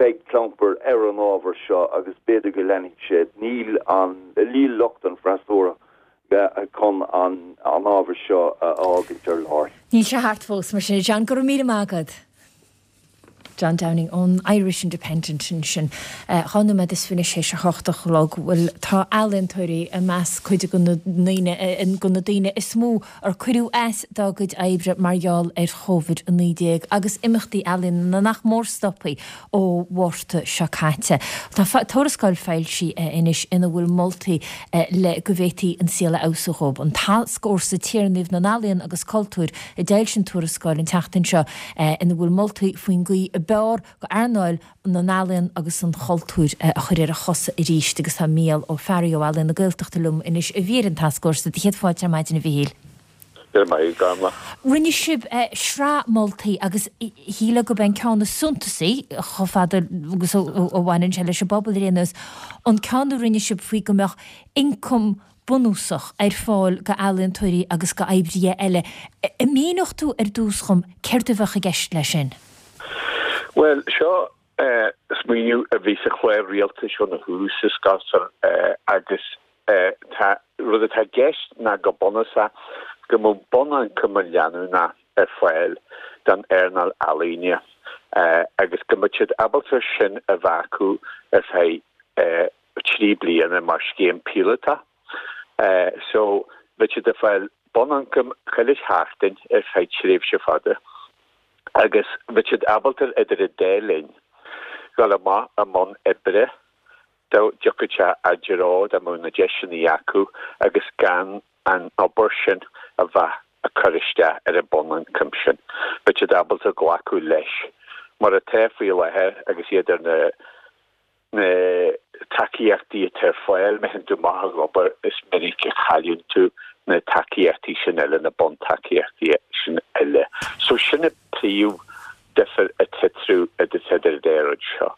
Beidh clampar ar an ábhar seo agus b'fhéidir go leanfaidh sé. Níl an, níl lucht an freasúra chun an ábhar seo a fhágaint ar lár. Níl sé thart fós, mar sin. A John, go raibh míle maith agat. John Downing ón Irish Independent ansin. 22 nóiméad théis a hocht a chlog. Bhuel, tá ealaíontóirí i measc cuid de na ndaoine, de na daoine is mó ar cuireadh as dá gcuid oibre mar gheall ar Covid-19 agus imeachtaí ealaíona nach mór stoptha ó Mhárta seo caite. Tá tuarascáil foilsithe anois ina bhfuil moltaí le go bhféadfaí an saol a fheabhsú dhóibh. An Tascfhórsa Téarnaimh na nEalaíon agus Cultúir a d'fhoilsigh an tuarascáil an tseachtain seo ina bhfuil moltaí faoin gcaoi ab fhearr go earnáil na n-ealaíon agus an chultúir a chur ar a chosa arís agus tá Mícheál Ó Fearraigh ó Ealaíon na Gaeltachta liom anois a bhí ar an tascfhórsa. Do chéad fáilte ar maidin a Mhichíl. Go raibh maith agat, a Ghormlaith. Rinne sibh sraith moltaí agus shílfeá gurb é an ceann is suntasaí, chomh fada agus a bhaineann sé leis an bpobal ar aon nós, an ceann a rinne sibh faoi go mbeadh ioncam bunúsach ar fáil go ealaíontóirí agus go oibrithe eile. An míneodh tú ar dtús dhom céard a bheadh i gceist leis sin? Bhuel, seo smaoineamh a bhí sa chlár rialtais óna thús, is cosúil, agus tá, rud atá i gceist ná go bunúsach go mbeadh bunioncam leanúnach ar fáil don earnáil ealaíne agus go mbeadh siad ábalta sin a bheith acu ar feadh 3 bliana mar scéim píolótach. So, bheadh siad ag fáil bunioncam chuile sheachtain ar feadh tréimhse fada agus bheadh siad ábalta idir an dá linn dul amach i mbun oibre dá dtiocfadh sé a dtreo, dá mbeadh na deiseanna acu agus gan an obair sin a bheith ag cur isteach ar an bunioncam sin. Bheadh siad ábalta glacadh leis mar atá faoi láthair agus iad ar na na tacaíochtaí atá ar fáil, má théann tú amach ag obair, is minic a chailleann tú na tacaíochtaí sin eile, na buntacaíochtaí sin eile. So sin an príomh difear atá eatarthu idir an dá rud seo.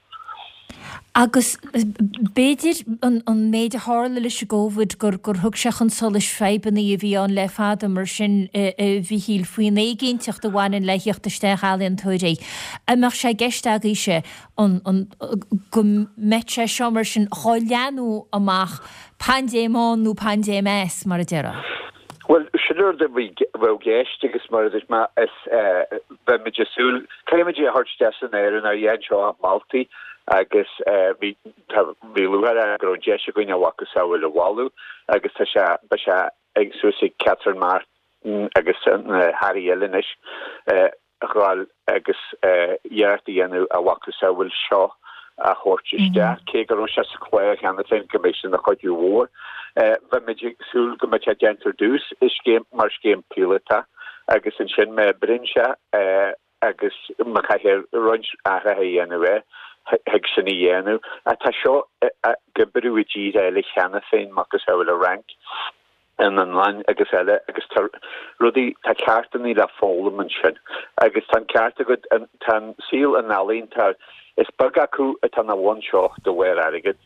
Agus b'fhéidir an méid a tharla leis an gCóvid gur gur thug sé chun solais fadhbanna a bhí ann le fada mar sin a Mhichíl faoin éiginnteacht a bhaineann le theacht isteach ealaíontóirí. An mbeadh sé i gceist agaibhse an, an, go mbeadh sé seo mar sin dhá leathnú amach, paindéim ann nó paindéim as, mar a déarfá? Bhuel, sin rud a bheadh i gceist agus mar a dúirt mé, is beimid ag súil, caithfimid é a thabhairt isteach san áireamh nuair a dhéan seo ach moltaí agus bhí, tá, bhí lúcháir orainn go raibh an deis againn a mhacasamhail a mholadh agus tá sé, beidh sé ag suas ag Catherine Martin agus na hairí eile anois. a ghabháil agus iarracht a dhéanamh a mhacasamhail seo a thabhairt isteach, cé go raibh sé sa chlár cheana féin go mbeidh sé ina chuidiú mhór. Bheimid ag súil go mbeidh sé déanta ar dtús i scéim mar scéim píolótach agus ansin má oibríonn sé agus má chaithfear roinnt athruithe a dhéanamh air, thig sin a dhéanamh. Ach tá seo ag oibriú i dtíortha eile cheana féin, macasamhail an Fhrainc. an Fhionlainn agus eile agus tá rudaí, tá ceachtanna le foghlaim ansin agus tá an ceart agat, tá an saol an ealaíontóir, is beag acu atá ina bhun seo de bharr airgid,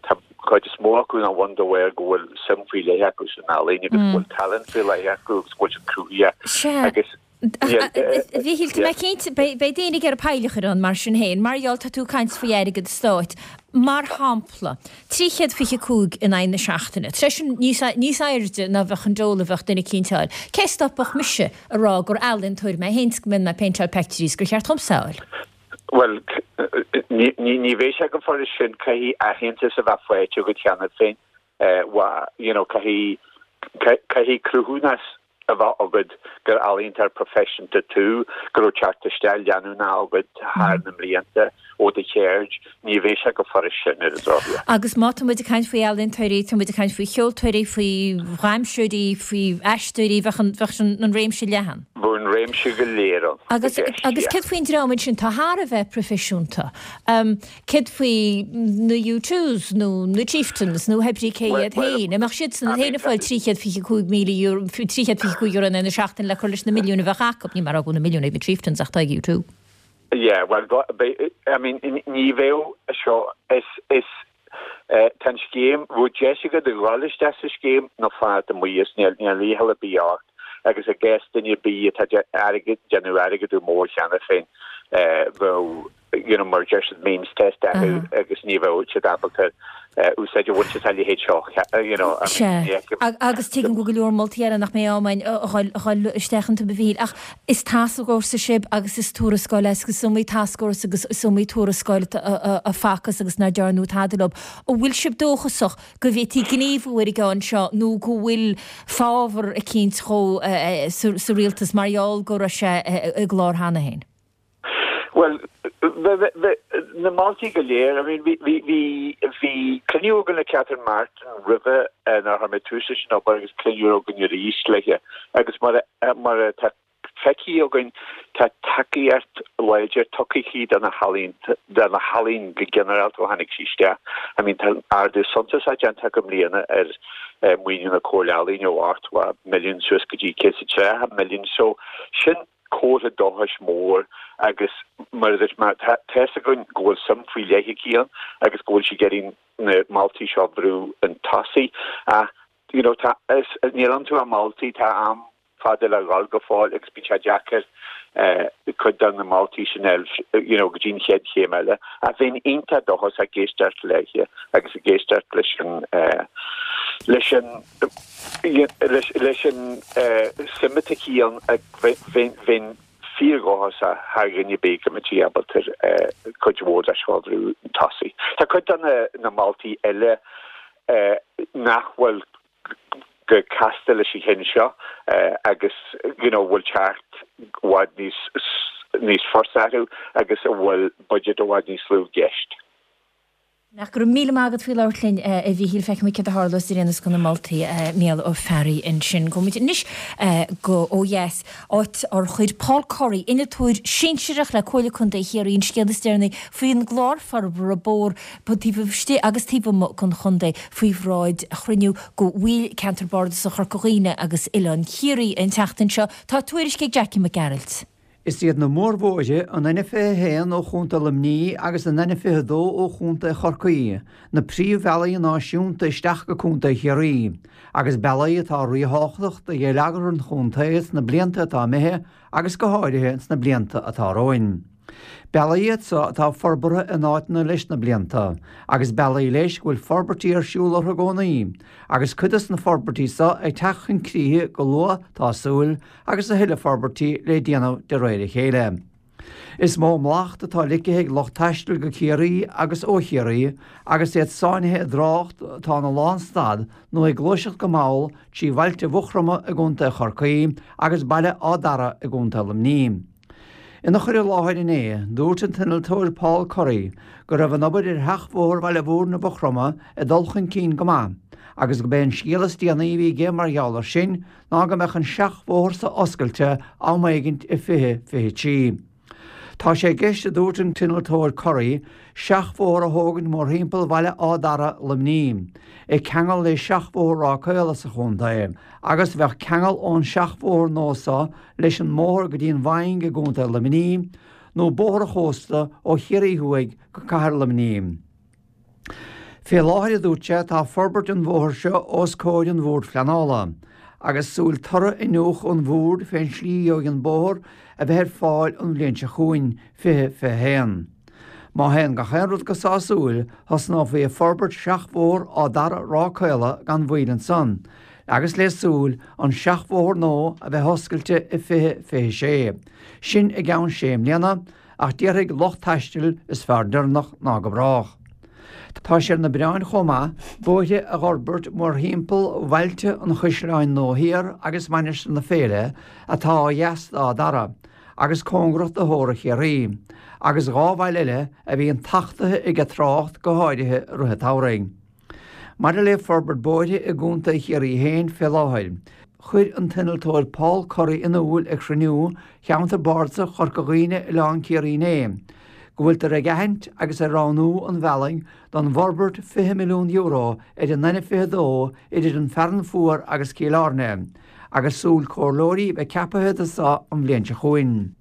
tá cuid is mó acu ina bhun de bharr go bhfuil suim faoi leith acu san ealaín agus go bhfuil tallann faoi leith acu agus go bhfuil siad cruthaitheach agus A Mhíchíl, tá mé cinnte, beidh daoine ag iarraidh poill a chur ann mar sin féin, mar gheall, tá tú ag caint faoi airgead stáit. Mar shampla, 325 in aghaidh na seachtaine, tá sé sin níos, níos airde ná bheadh an dole a bheadh duine eicínt a fháil. Cé stopfadh mise a rá gur ealaíontóir mé féin 's go mbíonn mé ag péinteáil peictiúirí 's gur cheart dhomsa a fháil? Bhuel, ní, ní, ní bheidh sé chomh furast sin, caithfidh aitheantas a bheith faighte agat cheana féin, you know, caithfidh, caithfidh cruthúnas a bheith agat gur ealaíontóir proifisiúnta tú, go raibh teacht isteach leanúnach agat thar na mblianta ó do cheird, ní bheidh sé chomh furast sin ar an drochuair. Agus má tá muid ag caint faoi ealaíontóirí, tá muid ag caint faoi cheoltóirí, faoi dhamhsóirí, faoi aisteoirí, bheadh an, bheadh an réimse leathan. Bheadh an réimse go léir ann i Agus, gceist, agus yeah. céard faoin dream ansin atá thar a bheith proifisiúnta? Céard faoi na U2s nó na Chieftains nó pé brí cé iad féin? An mbeadh siadsan féin ag fáil €325,000, €325 in aghaidh na seachtaine le cur leis na milliúin a bheadh acu? Níl mé ag rá go bhfuil na milliúin ag na Chieftains ach tá ag U2. Yeah, well, I mean, ní bheadh seo, is, is, tá an scéim, bheadh deis agat a dhul isteach sa scéim nó fanacht amuigh as, níl, níl iachall ar bith ort agus i gcás duine ar bith atá airgead, déanamh airgead mór cheana féin, bheadh, you know, mar deir siad means test acu agus ní bheadh siad ábalta úsáid a bhaint as a leithéid seo, you know, I mean, Sea. Agus tuigim go bhfuil go leor moltaí eile nach mbeidh am againn a dhul isteach iontu, a Mhíchíl, ach is tascfhórsa sibh agus is tuarascáil é agus is iomaí tascfhórsa agus is iomaí tuarascáil a facthas agus nár dearnadh tada leo. An bhfuil sibh dóchasach go bhféadfaí gníomhú ar an gceann seo nó go bhfuil fábhar eicínt dhó sa rialtas mar gheall go raibh sé i gclár cheana féin? Bhuel, na moltaí go léir, I mean, bhí, bhí, bhí, bhí cruinniú againn le Catherine Martin roimhe nár chuir mé tús leis an obair agus cruinniú againn arís léi agus mar a, mar atá feicthe againn tá tacaíocht láidir tugtha aici do na healaíon, do na healaíon go ginearálta ó tháinig sí isteach. I mean, tá ardú suntasach déanta acu i mbliana ar maoiniú na Comhairle Ealaíon ó 80 milliún suas go dtí 130 milliún so sin comhartha dóchais mór agus mar a dúirt mé, tá fhios againn go bhfuil suim faoi leith aici ann agus go bhfuil sí ag iarraidh na moltaí seo a bhrú chun tosaigh ach you know tá, is, níl iontu ach moltaí, tá am fada le dhul go fóill agus bíonn sé deacair cuid de na moltaí sin a fháil you know go dtí an chéad chéim eile ach bheinn iontach dóchasach ag éisteacht léi agus ag éisteacht leis an leis an Leis an suim atá aici ann, bheinn fíordhóchasach thar dhuine ar bith go mbeidh sí ábalta cuid mhór de seo a bhrú chun tosaigh. Tá cuid de na moltaí eile nach bhfuil chomh casta leis an cheann seo agus you know bhfuil teacht i bhfad níos níos fusa orthu agus a bhfuil budget i bhfad níos lú i gceist. Ach go raibh míle maith agat faoi labhairt linn, a Mhíchíl. Feicfimid céard a tharlós ar aon nós do na moltaí, Mícheál Ó Fearraigh ansin. Gabhfaimid anois go ó dheas, áit ar chuir Paul Corry, innealtóir sinsearach le Comhairle Contae Chiarraí, an scéal is deireanaí faoin gclár forbartha bóthar taobh istigh agus taobh amuigh den chontae faoi bhráid chruinniú de bhaill Ceantar Bardasach Chorca Dhuibhne agus Oileán Chiarraí an tseachtain seo. Tá tuairisc ag Jackie Mac Gearailt. Is iad na mórbhóithre, an N21 ó Chontae Luimnigh agus an N22 ó Chontae Chorcaí, na príomhbhealaí náisiúnta isteach go Contae Chiarraí, agus bealaí atá ríthábhachtach do gheilleagar an chontae sna blianta atá imithe agus go háirithe sna blianta atá romhainn. Bealaí iad so atá forbartha in áiteanna leis na blianta, agus bealaí leis go bhfuil forbairtí ar siúl orthu i gcónaí, agus cuid dos na forbairtí so ag teacht chun críche go luath tá súil, agus a thuilleadh forbairtí le déanamh de réir a chéile. Is mó mlacht atá ligthe ag lucht taistil go Ciarraí agus ó Chiarraí agus iad sáinnithe i dtrácht atá ina lánstad nó ag gluaiseacht go mall trí bhailte Mhaigh Chromtha i gContae Chorcaí agus Baile Áth Dara i gContae Luimnigh. Ina chur i láthair inné, dúirt an t-innealtóir Paul Curry go raibh an obair ar sheachbhóthar Bhaile Mhúirne Mhaigh Chromtha ag dul chun cinn go maith agus go b'é an scéal is déanaí a bhí aige mar gheall air sin ná go mbeadh an seachbhóthar so oscailte am éigint i 2023. Tá sé i gceist, a dúirt an t-innealtóir Curry, seachbhóthar a thógaint mórthimpeall Bhaile Áth Dara, Luimnigh, ag ceangal le seachbhóthar Ráth Caola sa chontae, agus bheadh ceangal ón seachbhóthar nua so leis an mbóthar go dtí an Mhaing i gContae Luimnigh, nó bóthar an chósta ó Chiarraí Thuaidh go Cathair Luimnigh. Fé láthair, a dúirt sé, tá forbairt an bhóthair seo os comhair an Bhoird Phleanála, agus súil toradh iniúchadh an Bhoird fén slí a gheobhaidh an bóthar a bheith ar fáil an bhliain seo chugainn, 2021. Má théann gach aon rud go sásúil, thosnófaí ag forbairt seachbhóthar Áth Dara Ráth Caola gan mhoill ansan, agus le súil an seachbhóthar nua a bheith oscailte i 2026, sin i gceann sé mbliana, ach déarfaidh lucht taistil is fearr deireanach ná go brách. Tá sé ar na bioráin chomh maith bóithre a dh'fhorbairt mórthimpeall bhailte an Chaisleáin Nua Thiar agus Mainistir na Féile atá ó dheas d'Áth Dara agus cóngarach do Thóra Chiarraí, agus dhá bhaile eile a bhíonn tachtaithe ag an trácht go háirithe i rith an tsamhraidh. Maidir le forbairt bóithre i gContae Chiarraí féin fé láthair, chuir an t-innealtóir Paul Curry in iúl ag chruinniú Cheantar Bardasach Chorca Dhuibhne Oileán Ciarraí inné, go bhfuiltear ag aithint agus ag roghnú an bhealaigh don bhforbairt €20 milliún ar an N22 idir an Fearann Fuar agus Cill Airne, agus súil comhairleoirí a bheith ceapaithe do so an bhliain seo chugainn.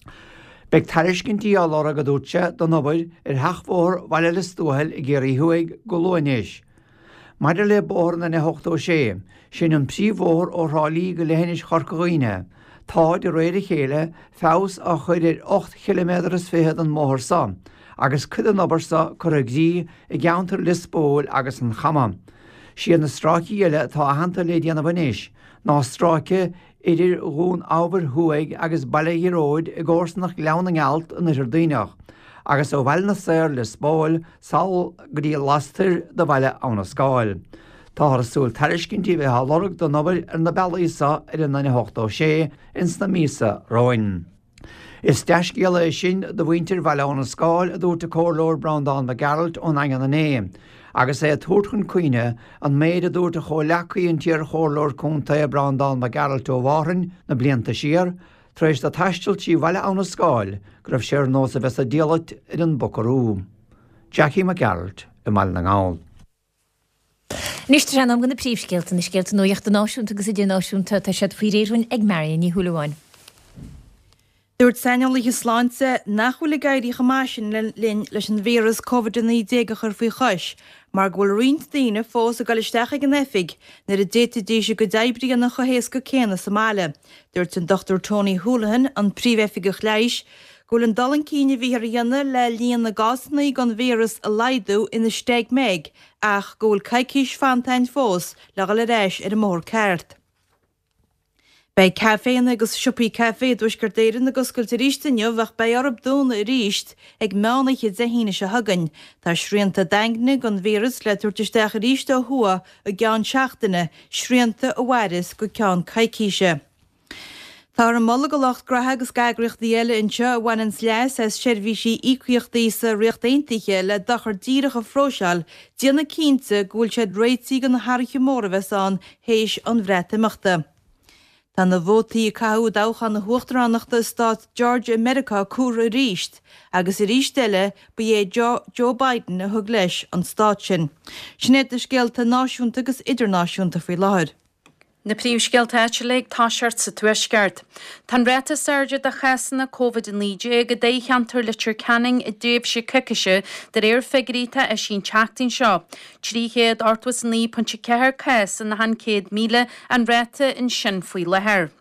Beidh tairiscintí á lorg, a dúirt sé, don obair ar sheachbhóthar Bhaile Lios Tuathail i gCiarraí Thuaidh go luath anois. Maidir le bóthar an N86, sin an príomhbhóthar ó Thrá Lí go leithinis Chorca Dhuibhne, tá, de réir a chéile, feabhas á chur ar 8 chiliméadar is fichead den mbóthar so, agus cuid den obair so curtha i gcrích i gceantar Lios Póil agus an Chama. Siad na stráicí eile atá aitheanta le déanamh anois ná stráice idir Dhún Eabhair Thuaidh agus Baile Ghearóid i gcomharsanacht Ghleann na nGealt in Oirthear Duibhneach, agus ó Bhaile na Saor, Lios Póil, sall go dtí lastoir de Bhaile Abhna Scáil. Táthar ag súil tairiscintí a bheith á lorg don obair ar na bealaí so ar an N86 ins na míosa romhainn. Is dea-scéala é sin do mhuintir Bhaile Abhna Scáil, a dúirt an Comhairleoir Breandán Mac Gearailt ón nDaingean inné, agus é ag tabhairt chun cuimhne an méid a dúirt a chomhleacaí an t-iar-chomhairleoir contae Breandán Mac Gearailt ó Mhárthain na blianta siar, tar éis dó taisteal trí Bhaile Abhna Scáil, go raibh sé ar nós a bheith sa diallait ar an Buckaroo. Jackie Mac Gearailt i mBaile na nGall. Anois tá sé in am do na príomhscéalta, na scéalta nuachta náisiúnta agus idirnáisiúnta. Tá siad faoi réir dhúinn ag Marion Ní Shúilleabháin. Dúirt saineolaithe sláinte nach bhfuil ag éirí chomh maith sin linn leis an víreas Covid-19 a chur faoi chois mar go bhfuil roinnt daoine fós ag dul isteach ag an oifig nuair a d'fhéadfaidís a gcuid oibre a dhéanamh chomh héasca céanna sa mbaile. Dúirt an Dr Tony Holohan, an Príomhoifigeach Leighis, go bhfuil an dul chun cinn a bhíthear a dhéanamh le líon na gcásanna den víreas a laghdú ina steig meig ach go bhfuil coicís fanta againn fós le dhul ar ais ar an mbóthar ceart. Beidh caiféanna agus siopaí caife i dTuaisceart Éireann ag oscailt arís inniu ach beidh orthu dúnadh arís ag meán oíche Dé hAoine seo chugainn. Tá srianta daingne don víreas le tabhairt isteach arís ó thuaidh i gceann seachtaine, srianta a mhairfeas go ceann coicíse. Táthar ag moladh do lucht graithe agus d'eagraíochtaí eile anseo a bhaineanns leas as seirbhísí íocaíochtaí sa Ríocht Aontaithe le dochar díreach a phróiseáil, déanamh cinnte go bhfuil siad réitithe do na hathruithe móra a bheas ann théis an Bhreatimeachta. Tá na vótaí a caitheadh i dtoghchán na huachtaránachta i stát Georgia i Meiriceá comhairthe arís agus arís eile ba é Joe Biden a thug leis an stát sin. Sin iad na scéalta náisiúnta agus idirnáisiúnta faoi láthair. Na príomhscéalta áitiúla ag toiseacht sa Tuaisceart. Tá an ráta is airde de chásanna Covid-19 i dtoghcheantar Leitir Ceanainn i dtréimhse coicíse de réir figiúirí atá eisithe an tseachtain seo. 389.4 cás in achan 100,000 an ráta ansin faoi láthair.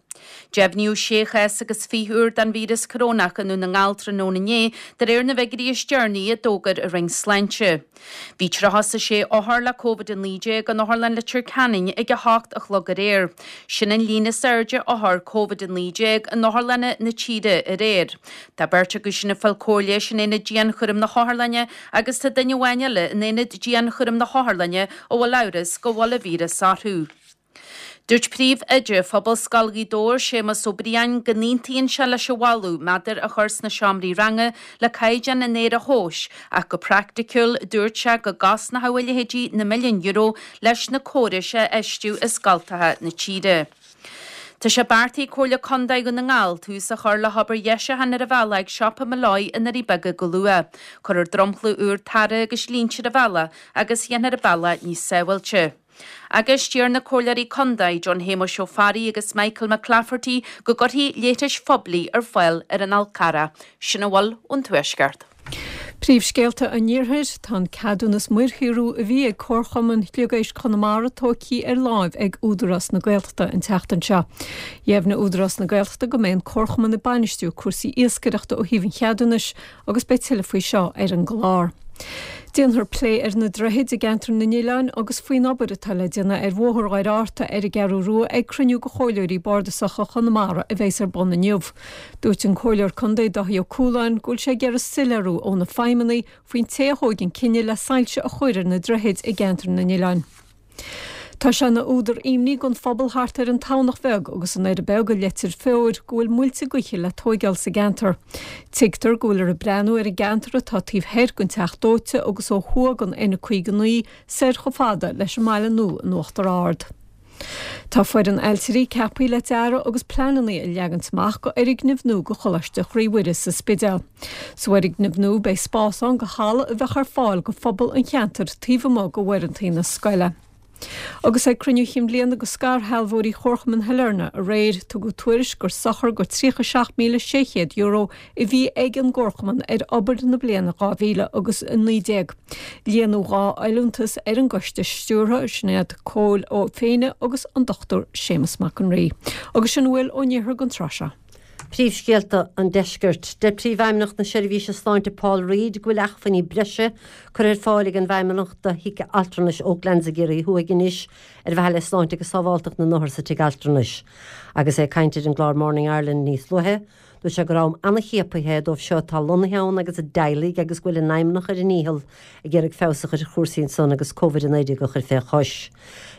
Deimhníodh sé chás agus 20 úr den víreas corónach i nDún na nGall tráthnóna inné, de réir na bhfigiúirí is deireanaí a d'fhógair an Roinn Sláinte. Bhí 36 othar le Covid-19 in Otharlann Leitir Ceanainn ag 8 a chlog aréir. Sin an líon is airde othar Covid-19 in otharlanna na tíre aréir. Tá beirt acu sin ag fáil cóir leighis in aonad dianchúraim na hotharlainne agus tá duine amháin eile in aonad dianchúraim na hotharlainne a bhfuil amhras go bhfuil an víreas orthu. Dúirt Príomh-Oide Phobalscoil Ghaoth Dobhair, Séamus Ó Briain, go n-aontaíonn sé leis an mholadh méadair a chur sna seomraí ranga le caighdeán an aeir a thomhas ach go praiticiúil dúirt sé go gcosnódh a leithéidí na milliúin euro leis na córais a fheistiú i scoltacha na tíre. Tá sé beartaithe ag Comhairle Contae Dhún na nGall tús a chur le hobair dheisiúcháin ar an bhealach ag Siopa Molloy i nDoirí Beaga go luath. Cuirfear dromchla úr tarra agus línte ar an bhealach agus dhéanfar an bealach níos sábháilte. Agus d'iarr na Comhairleoirí Contae, John Shéamuis Ó Fearraigh agus Michael McClafferty go gcuirfí leithris phoiblí ar fáil ar an Fhál Carrach. Sin a bhfuil ón Tuaisceart. Príomhscéalta an Iarthair, Tá an ceadúnas muirshaothrú a bhí ag Comharchumann Shliogéisc Chonamara tógtha ar láimh ag Údarás na Gaeltachta an tseachtain seo. Dheimhnigh Údarás na Gaeltachta go mbeidh an Comharchumann ag bainistiú cúrsaí iascaireachta ó thaobh an cheadúnais agus beidh tuilleadh faoi seo ar an gclár. Déanfar plé ar na droichid i gCeantar na nOileán agus faoin obair atá le déanamh ar Bhóthar Dhoire Fhearta ar an gCeathrú Rua ag cruinniú de Chomhairleoirí Bardasacha Chonamara a bheas ar bun inniu. Dúirt an Comhairleoir Contae Dáithí Ó Cualáin go bhfuil sé ag iarraidh soiléiriú ó na feidhmeannaigh faoin té a thóig an cinneadh le soilse a chur ar na droichid i gCeantar na nOileán. Tá sé ina údar imní don phobal thart ar an Tamhnach Bheag agus an Doire Beag i Leitir Feoir go bhfuil muilte gaoithe le tóigeáil sa gceantar. Tuigtear go bhfuiltear ag breathnú ar an gceantar atá taobh thoir den Teach Dóite agus ó thuaidh den N59 soir chomh fada leis an mBaile Nua in Uachtar Ard. Tá foireann ailtirí ceaptha le dearadh agus pleananna a leagaint amach go fhoirgneamh nua go Choláiste Chroí Mhuire sa Spidéal. Sa bhfoirgneamh nua beidh spás ann go halla a bheadh ar fáil go phobal an cheantair taobh amuigh go uaireantaí na scoile. Agus ag cruinniú chinn bhliana go scairshealbhóirí Chomharchumann Shailearna aréir, tugadh tuairisc gur sochar go €37,600 a bhí ag an gComharchumann ar obair na bliana 2000 agus 19. Líonadh 2 fholúntas ar an gcoiste stiúrtha, sin iad Cóil Ó Féinne agus an Dr Séamus Mac an Rí. Agus sin a bhfuil ón iarthar don tráth seo. Príomhscéalta an Deiscirt. Deir Príomhfheidhmeannach na Seirbhíse Sláinte Paul Reid go bhfuil acmhainní breise curtha ar fáil ag an bhFeidhmeannacht do Thigh Altranais Oaklands i gCiarraí Thuaidh anois ar mhaithe le sláinte agus sábháltacht na n-othar sa tigh altranais. Agus é ag caint ar an gclár Morning Ireland níos luaithe, Dúirt sé gur am an-chiapaithe é dóibh seo atá lonnaithe ann agus a dteaghlaigh agus go bhfuil an Fheidhmeannacht ar a ndícheall ag iarraidh feabhas a chur ar chúrsaí ansan agus Covid-19 a chur fé chois.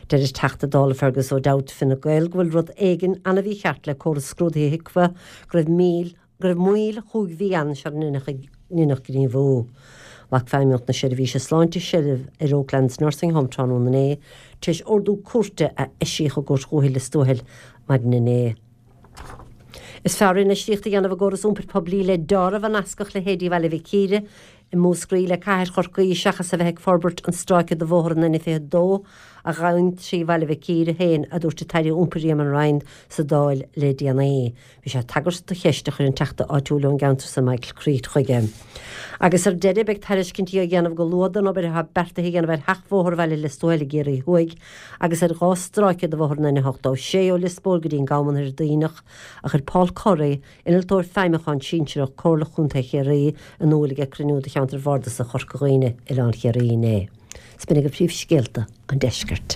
Deir an Teachta Dála Fergus O'Dowd Fine Gael go bhfuil rud éigin an-mhícheart le córas scrúdaithe HIQA go raibh míl go raibh moill chúig mhí ann sara ndeineadh gníomhú. Ghlac Feidhmeannacht na Seirbhíse Sláinte seilbh ar Oaklands Nursing Home tráthnóna inné tar éis ordú cúirte a eisíodh i gCúirt Dhúiche Lios Tuathail maidin inné. Is fearr infheistíocht a dhéanamh i gcóras iompair poiblí le deáramh a nascfadh leithéidí Bhaile Mhic Íre i Múscraí le cathair Chorcaí seachas a bheith ag forbairt an stráice de bhóthar an N22 a ghabhann trí Bhaile Mhic Íre féin, a dúirt an tAire Iompair Eamon Ryan sa Dáil le déanaí. Bhí sé ag tagairt do cheist a chuir an teachta áitiúil ón gceantar san Michael Creed chuige. Agus ar deireadh, beidh tairiscintí á dhéanamh go luath don obair atá beartaithe a dhéanamh ar sheachbhóthar Bhaile Lios Tuathail i gCiarraí Thuaidh agus ar 2 stráice de bhóthar an N86 ó Lios Póil go dtí an Gamhna Thoir Duibhneach, a chuir Paul Corry, Innealtóir Feidhmiúcháin Sinsearach, Comhairle Chontae Chiarraí, in iúl ag cruinniú de Cheantar Bhardasach Chorca Dhuibhne, Oileán Chiarraí inné. 'S b'in agaibh príomhscéalta an deiscirt.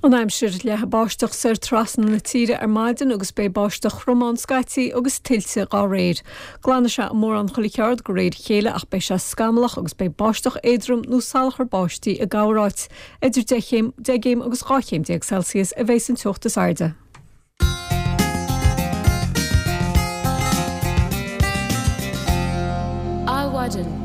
An aimsir, Leathfaidh báisteach soir trasna na tíre ar maidin agus beidh báisteach throm ann scaití agus tuilte dá réir. Glanfaidh sé i mórán chuile cheard de réir a chéile ach beidh sé scamallach agus beidh báisteach éadrom nó salachar báistí i gcorráit. Idir 10 chéim, 10 gcéim agus 12 chéim Celsius a bheas an teocht is airde. Adhmhaidin.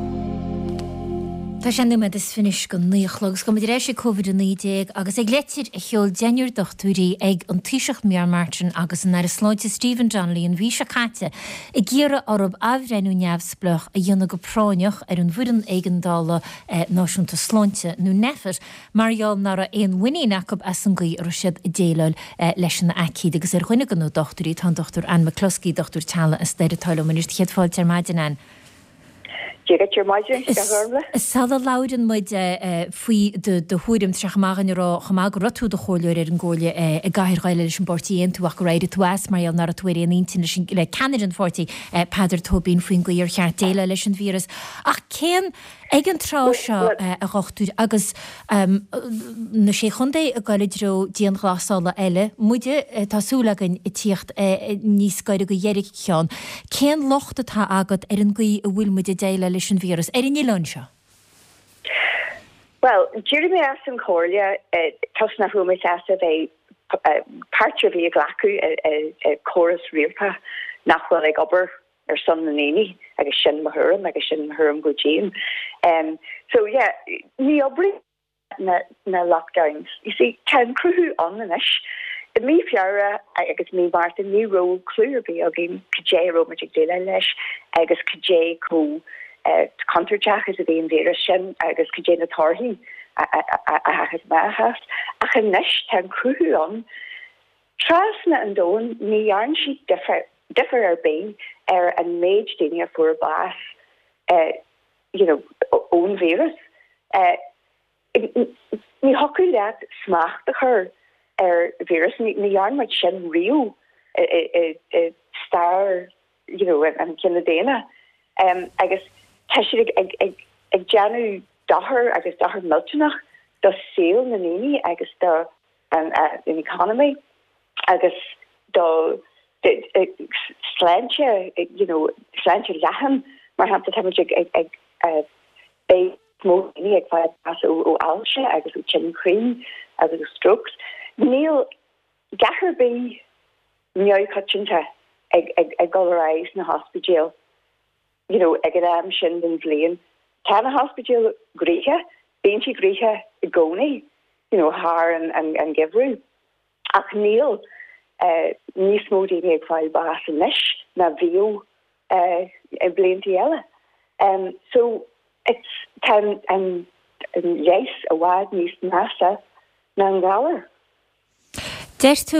Tá sé nóiméad is fiche anois go 9 a chlog agus gabhfaidh muid ar ais ag Covid-19 agus ag leitir a sheol deichniúr dochtúirí ag an Taoiseach Micheál Martin agus an Aire Sláinte Stephen Donnelly an mhí seo caite ag iarraidh orthu athbhreithniú neamhspleách a dhéanamh go práinneach ar an bhFoireann Éigeandála Náisiúnta Sláinte, nó Nphet, mar gheall nach raibh aon mhuinín acu as an gcaoi a raibh siad ag déileáil leis an aicíd. Agus ar dhuine de na dochtúirí tá an Dr Anne McCluskey, dochtúir teaghlaigh as Doire atá liom anois. Céad fáilte ar maidin, Anne. Dia duit ar maidin, a Ghormfhlaith. Sula labhrann muid faoi do thuairim, tá sé chomh maith againn a rá chomh maith go raibh tú i do chomhairleoir ar an gcomhairle i gCathair Dhoire leis an bPáirtí Aontú ach gur éirigh tú as mar gheall nach raibh tú ar aon intinn leis an le ceannaire an pháirtí, Peadar Tóibín, faoin gcaoi ar cheart déileáil leis an víreas. Ach cén Ag an tráth seo, a Dhochtúir, agus na Sé Chontae ag dul i dtreo dianghlasála eile, muide, tá súil againn, ag tíocht níos gaire do dheireadh an cheann, cén locht atá agat ar an gcaoi a bhfuil muid ag déileáil leis an víreas ar an oileán seo? Bhuel, d'éirigh mé as an chomhairle toisc nach raibh mé sásta bheith páirt ar bith a ghlacadh i córas rialtais nach bhfuil ag obair ar son na ndaoine agus sin mo thuairim agus sin mo thuairim go dian. So yeah, ní oibríonn na na lockdowns. You see, tá an cruthú ann anois. I mí Feabhra agus mí Márta ní raibh clue ar bith againn cad é a raibh muid ag déileáil leis agus cad é chomh contúirteach is a bhí an víreas sin agus cad é na torthaí a thagas amach as. Ach anois tá an cruthú ann. Trasna an domhain ní dhearn siad difear. difear ar bith ar an méid daoine a fuair bás you know ón víreas. Ní thiocfadh leat smacht a chur ar víreas, ní dhearn muid sin riamh i stair you know an chine daonna agus tá siad ag ag ag déanamh dochar agus dochar millteanach do saol na ndaoine agus do an economy agus do sláinte you know sláinte leathan mar shampla tá muid ag ag ag beidh níos mó daoine ag fáil bás ó ó ailse agus ó tinn croí agus ó strokes. Níl a dhath ar bith neamhchoitianta ag ag ag dul ar aghaidh sna hospidéil you know ag an am sin den bhliain. Tá na hospidéil gnoitheach, bíonn siad gnoitheach i gcónaí you know thar an an an geimhreadh. Ach níl níos mó daoine ag fáil bás anois ná bhíodh i bliantaí eile. So it's tá an leigheas i bhfad níos measa ná an galar. Deir tú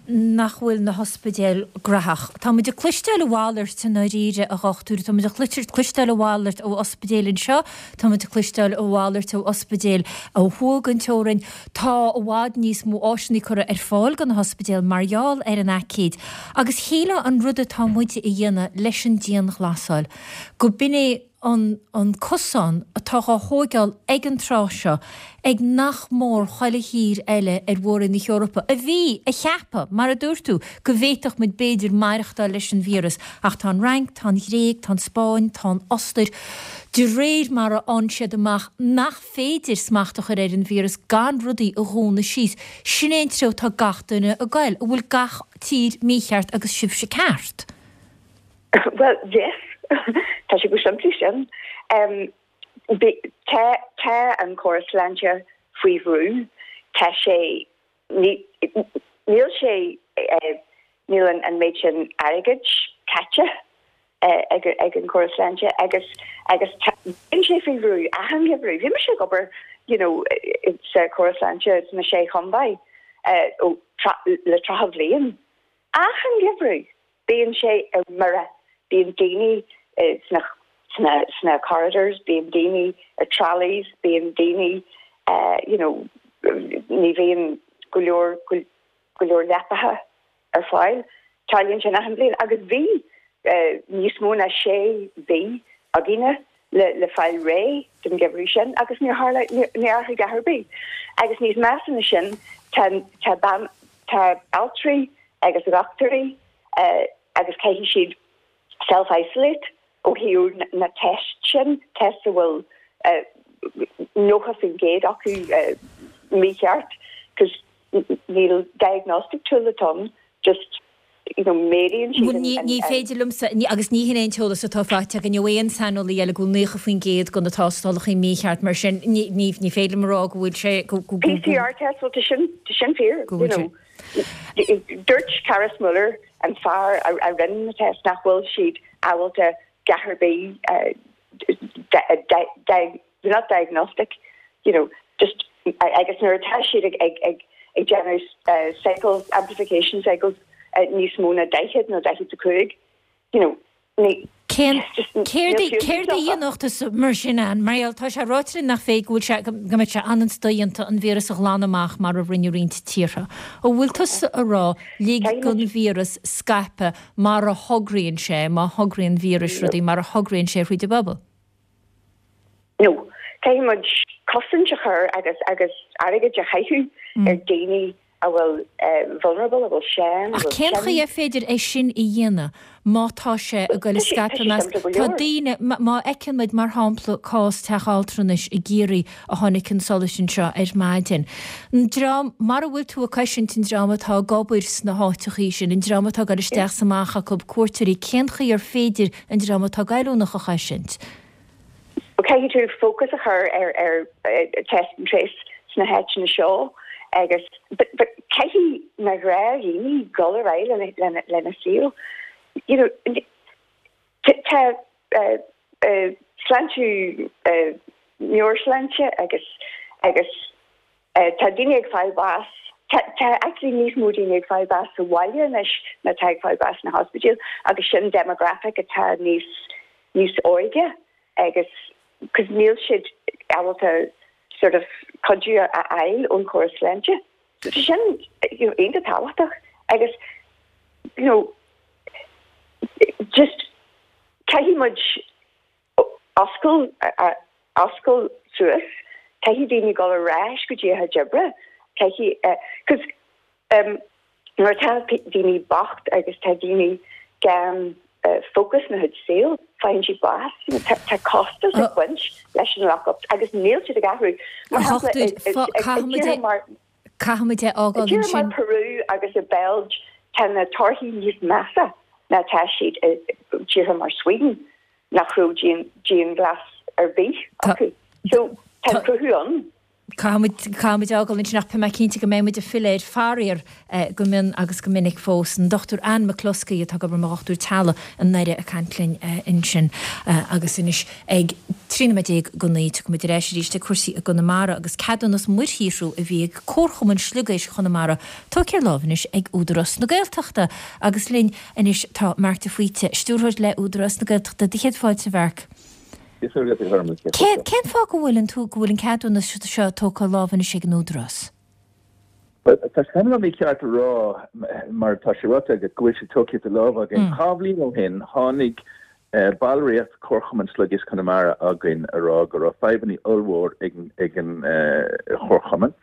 nach bhfuil na hospidéil gnaitheach. Tá muid ag cloisteáil a mhalairt i ndáiríre, a dhochtúir. Tá muid ag cloisteáil a mhalairt ó ospidéil anseo, tá muid ag cloisteáil a mhalairt ó ospidéil ó thuaidh den teorainn. Tá i bhfad níos mó áiseanna curtha ar fáil do na hospidéil mar gheall ar an aicíd. Agus shílfeá an rud atá muid a dhéanamh leis an dianghlasáil, go b'in é an an cosán atá dhá thóigeáil ag an tráth seo ag nach mór chuile thír eile ar mhór-roinn na hEorpa, a bhí a cheapadh, mar a dúirt tú, go bhféadfadh muid b'fhéidir maireachtáil leis an víreas. Ach tá an Fhrainc, tá an Ghréig, tá an Spáinn, tá an Ostair, de réir mar a fhaigheann siad amach nach féidir smacht a chur ar an víreas gan rudaí a dhúnadh síos. Sin é an treo atá gach duine ag goil. An bhfuil gach tír mícheart agus sibhse ceart? Bhuel, yes. Tá sé chomh simplí sin. Tá, tá an córas sláinte faoi bhrú. Tá sé, ní, níl sé, níl an méid sin airgid caite ag ag an córas sláinte agus agus tá, bíonn sé faoi bhrú achan gheimhreadh. Bhí mise ag obair, you know, sa chóras sláinte sna Sé Chontae ó le 30 bhliain. Achan gheimhreadh Bíonn sé ar mire, bíonn daoine sna sna corridors, bíonn daoine ar trolleys, bíonn daoine you know ní bhíonn go leor go leor leapacha ar fáil. Tarlaíonn sin achan bhliain agus bhí níos mó ná sé mhí againne le le fáil réidh don gheimhreadh sin agus níor tharla níor athraigh a dhath ar bith. Agus níos measa ná sin tá tá bean tá altraí agus dochtúirí agus caithfidh siad self-isolate ó thaobh na tests sin, tests a bhfuil 90% acu mícheart 'cause níl diagnostic tool atá ann, just you know méadaíonn siad an. Ní féidir liomsa, agus ní hin é an t-eolas atá faighte againn ó aon saineolaí eile, go bhfuil 90% de na tástálacha mícheart, mar sin ní féidir liom a rá go bhfuil sé, go. PCR test, bhuel tá sin, tá sin fíor, you know. Dúirt Karis Muller, an fear a rinne na tests, nach bhfuil siad ábalta a dhath ar bith they're not diagnostic, you know, just agus nuair atá siad ag ag ag ag déanamh cycles, amplification cycles níos mó ná 40 nó 45, you know, ní. Cén, céard a, céard a dhéanfadh tusa mar sin, Ann? Mar gheall, tá sé ráite linn nach féidir, go bhfuil sé, go mbeadh sé an-dodhéanta an víreas a ghlanadh amach mar a rinne roinnt tíortha. An bhfuil tusa a rá, lig don víreas scaipeadh mar a thograíonn sé, má thograíonn víris rudaí, mar a thograíonn sé thríd an bpobal? No. Caithfidh muid cosaint a chur agus, agus airgead a chaitheamh ar daoine a bhfuil vulnerable, a bhfuil sean, a Ach bhfuil cén tinn. chaoi ar féidir é sin a dhéanamh má tá sé ag goil ag scaipeadh i measc, tá daoine, má fheiceann muid mar shampla cás teach altranais i gCiarraí a tháinig chun solais anseo ar maidin, an dream, mara bhfuil tú ag cosaint an dream atá ag obair sna háiteachaí sin, an dream atá ag goil isteach is amach acu, cuairteoirí, cén chaoi ar féidir an dream atá goilliúnach a chosaint? Caithfidh tú fócas a chur ar ar test and trace sna háiteanna seo agus but but caithfidh na gnáthdhaoine dul ar aghaidh lena lena lena saol. You know tá sláinte meabhairshláinte agus agus tá daoine ag fáil bás tá tá actually níos mó daoine ag fáil bás sa bhaile anois ná atá ag fáil bás sna hospidéil agus sin demographic atá níos níos óige agus cos níl siad ábalta sort of cuidiú a fháil ón chóras sláinte. So tá sin you know iontach tábhachtach agus you know just caithfidh muid oscail oscail suas, caithfidh daoine dul ar ais go dtí a chuid oibre, caithfidh cos um Nuair atá daoine bocht agus tá daoine gan fócas ina chuid saoil, faigheann siad bás. Tá costas ag baint leis an lock-up agus níl siad ag athrú. Mar shampla, i tíortha mar Caithfimid é fhágáil ansin. I tíortha mar Peru agus i Beilg, tá na torthaí níos measa ná atá siad i tíortha mar Sweden, nach raibh dianghlas ar bith acu. So, tá an cruthú ann. Caithfimid, caithfimid é fhágáil ansin ach beidh mé cinnte go mbeidh muid ag filleadh air faraor go mion agus go minic fós. An Dr Anne McCluskey atá ag obair mar dhochtúir teaghlaigh i nDoire ag caint linn ansin. Agus anois ag 13 nóiméad go 9 tiocfaidh muid ar ais arís ag cúrsaí i gConamara agus ceadúnas muirshaothrú a bhí ag Comharchumann Sliogéisc Chonamara tógtha ar láimh anois ag Údarás na Gaeltachta. Agus linn anois tá Marc de Faoite, Stiúrthóir le Údarás na Gaeltachta. Do chéad fáilte a Mharc. Cén fáth go bhfuil an go bhfuil an ceadúnas seo tógtha ar láimh anois ag an Údarás? Bhuel, tá sé cineál mícheart a rá, mar tá sé ráite agat, go bhfuil sé tógtha de lámh againn. Dhá bhliain ó shin, tháinig ballraíocht Chomharchumann Sliogéisc Chonamara chugainn a rá go raibh fadhbanna ollmhór ag an chomharchumann,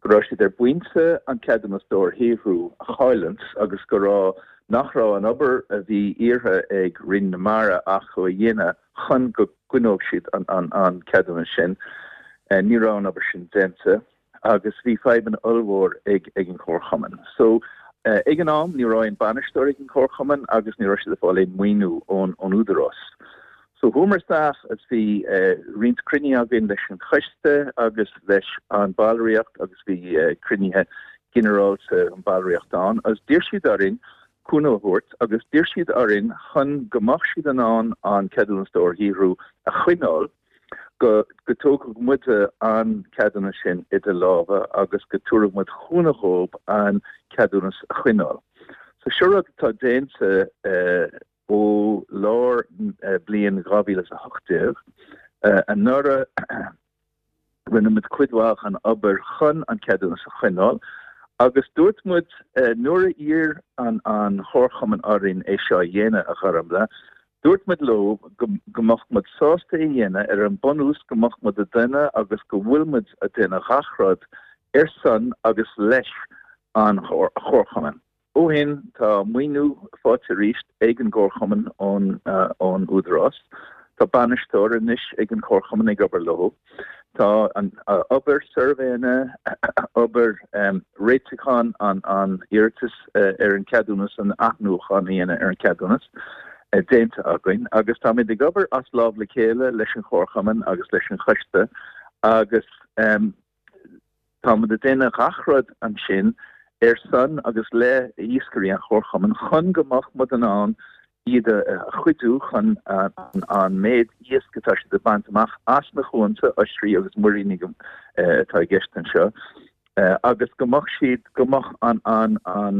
go raibh siad ar bpointe an ceadúnas dobharshaothrú a chailliúint agus go raibh nach raibh an obair a bhí iarrtha ag Roinn na Mara acu a dhéanamh chun go gcoinneodh siad an ceadúnas sin. Ní raibh an obair sin déanta agus bhí fadhbanna ollmhór ag an chomharchumann. So, ag an am, ní raibh aon bainisteoir ag an chomharchumann agus ní raibh siad ag fáil aon maoiniú ón Údarás. So, chuamar isteach agus bhí roinnt cruinnithe againn leis an choiste agus leis an ballraíocht agus bhí cruinnithe ginearálta an ballraíocht ann agus d'iarr siad orainn cúnamh a thabhairt agus d'iarr siad orainn chun go mbeadh siad in ann an ceadúnas dobharshaothrú a choinneáil go go dtógfadh muide an ceadúnas sin idir lámha agus go dtabharfadh muid cúnamh dhóibh an ceadúnas a choinneáil. So seo rud atá déanta ó lár bliain 2018 anuraidh. Rinne muid cuid mhaith den obair chun an ceadúnas a choinneáil agus dúirt muid nuair a iarr an Chomharchumann orainn é seo a dhéanamh, a Ghormlaith, dúirt muid leo go mbeadh muid sásta é a dhéanamh ar an bunús go mbeadh muid ag déanamh agus go bhfuil muid ag déanamh gach rud ar son agus leis an Chomharchumann. Ó shin, tá maoiniú faighte arís ag an gComharchumann ón Údarás. Tá bainisteoir anois ag an Chomharchumann ag obair leo. Tá an obair suirbhéanna, obair réitiúcháin an iarratais ar an cheadúnas, an athnuachán a dhéanamh ar an cheadúnas, déanta againn agus táimid ag obair as lámh le chéile leis an Chomharchumann agus leis an choiste agus Táimid ag déanamh gach rud ansin ar son agus le iascairí an Chomharchumainn chun go mbeadh muid in ann iad a chuidiú chun an méid iasc atá siad ag baint amach as na cuanta, oisrí agus muirínigh atá i gceist anseo, agus go mbeadh siad, go mbeadh an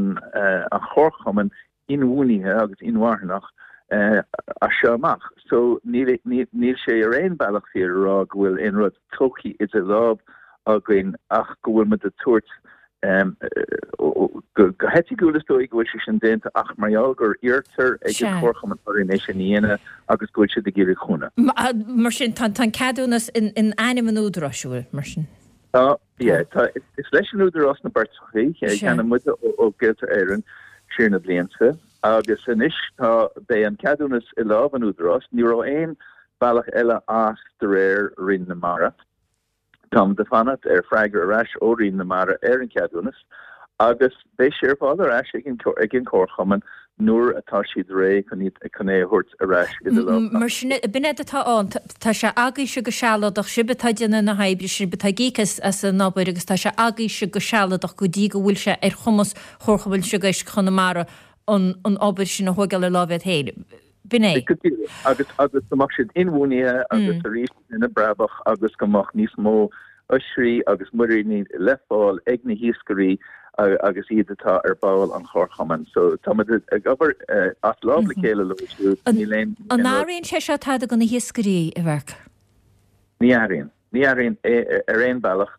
Chomharchumann inbhuanaithe agus inmharthanach. As seo amach. So níl níl sé ar aon bealach fíor a rá go bhfuil aon rud tógtha idir lámh againn ach go bhfuil muid ag tabhairt go hoifigiúil is dóigh go bhfuil sé sin déanta ach mar gheall gur iarrtar ag an Chomharchumann orainn é sin a dhéanamh agus go bhfuil siad ag iarraidh cúnamh. Mar sin tá an ceadúnas in ainm an Údaráis, an bhfuil, mar sin? Tá, yeah. Tá, is leis an Údarás na beirteachaí, cheannaigh muide ó Gaeltarra Éireann siar na blianta. Agus anois tá, beidh an ceadúnas i lámh an Údaráis. Ní raibh aon bhealach eile as de réir Roinn na Mara. Táimid ag fanacht ar freagra ar ais ó Roinn na Mara ar an cheadúnas agus beidh sé ar fáil ar ais ag an ag an Chomharchumann nuair atá siad réidh chun iad chun é a thabhairt ar ais i do lámh. Mar sin, b'in é atá ann. Tá sé agaibhse go sealadach, sibh atá ag déanamh na hoibre, sibh atá ag íoc as an obair agus tá sé agaibhse go sealadach go dtí go bhfuil sé ar chumas Chomharchumann Sliogéisc Chonamara an an obair sin a thóigeáil ar láimh iad féin. B'in é. Go díreach. Agus agus go mbeadh siad inbhuanaithe agus arís ina brabach agus go mbeadh níos mó oisrí agus muiríní le fáil ag na hiascairí agus iad atá ar ball an Chomharchumainn. So táimid ag obair as lámh le chéile leo siúd. Níl aon An athraíonn sé seo tada do na hiascairí, a Mharc? Ní athraíonn. Ní athraíonn ar aon bhealach.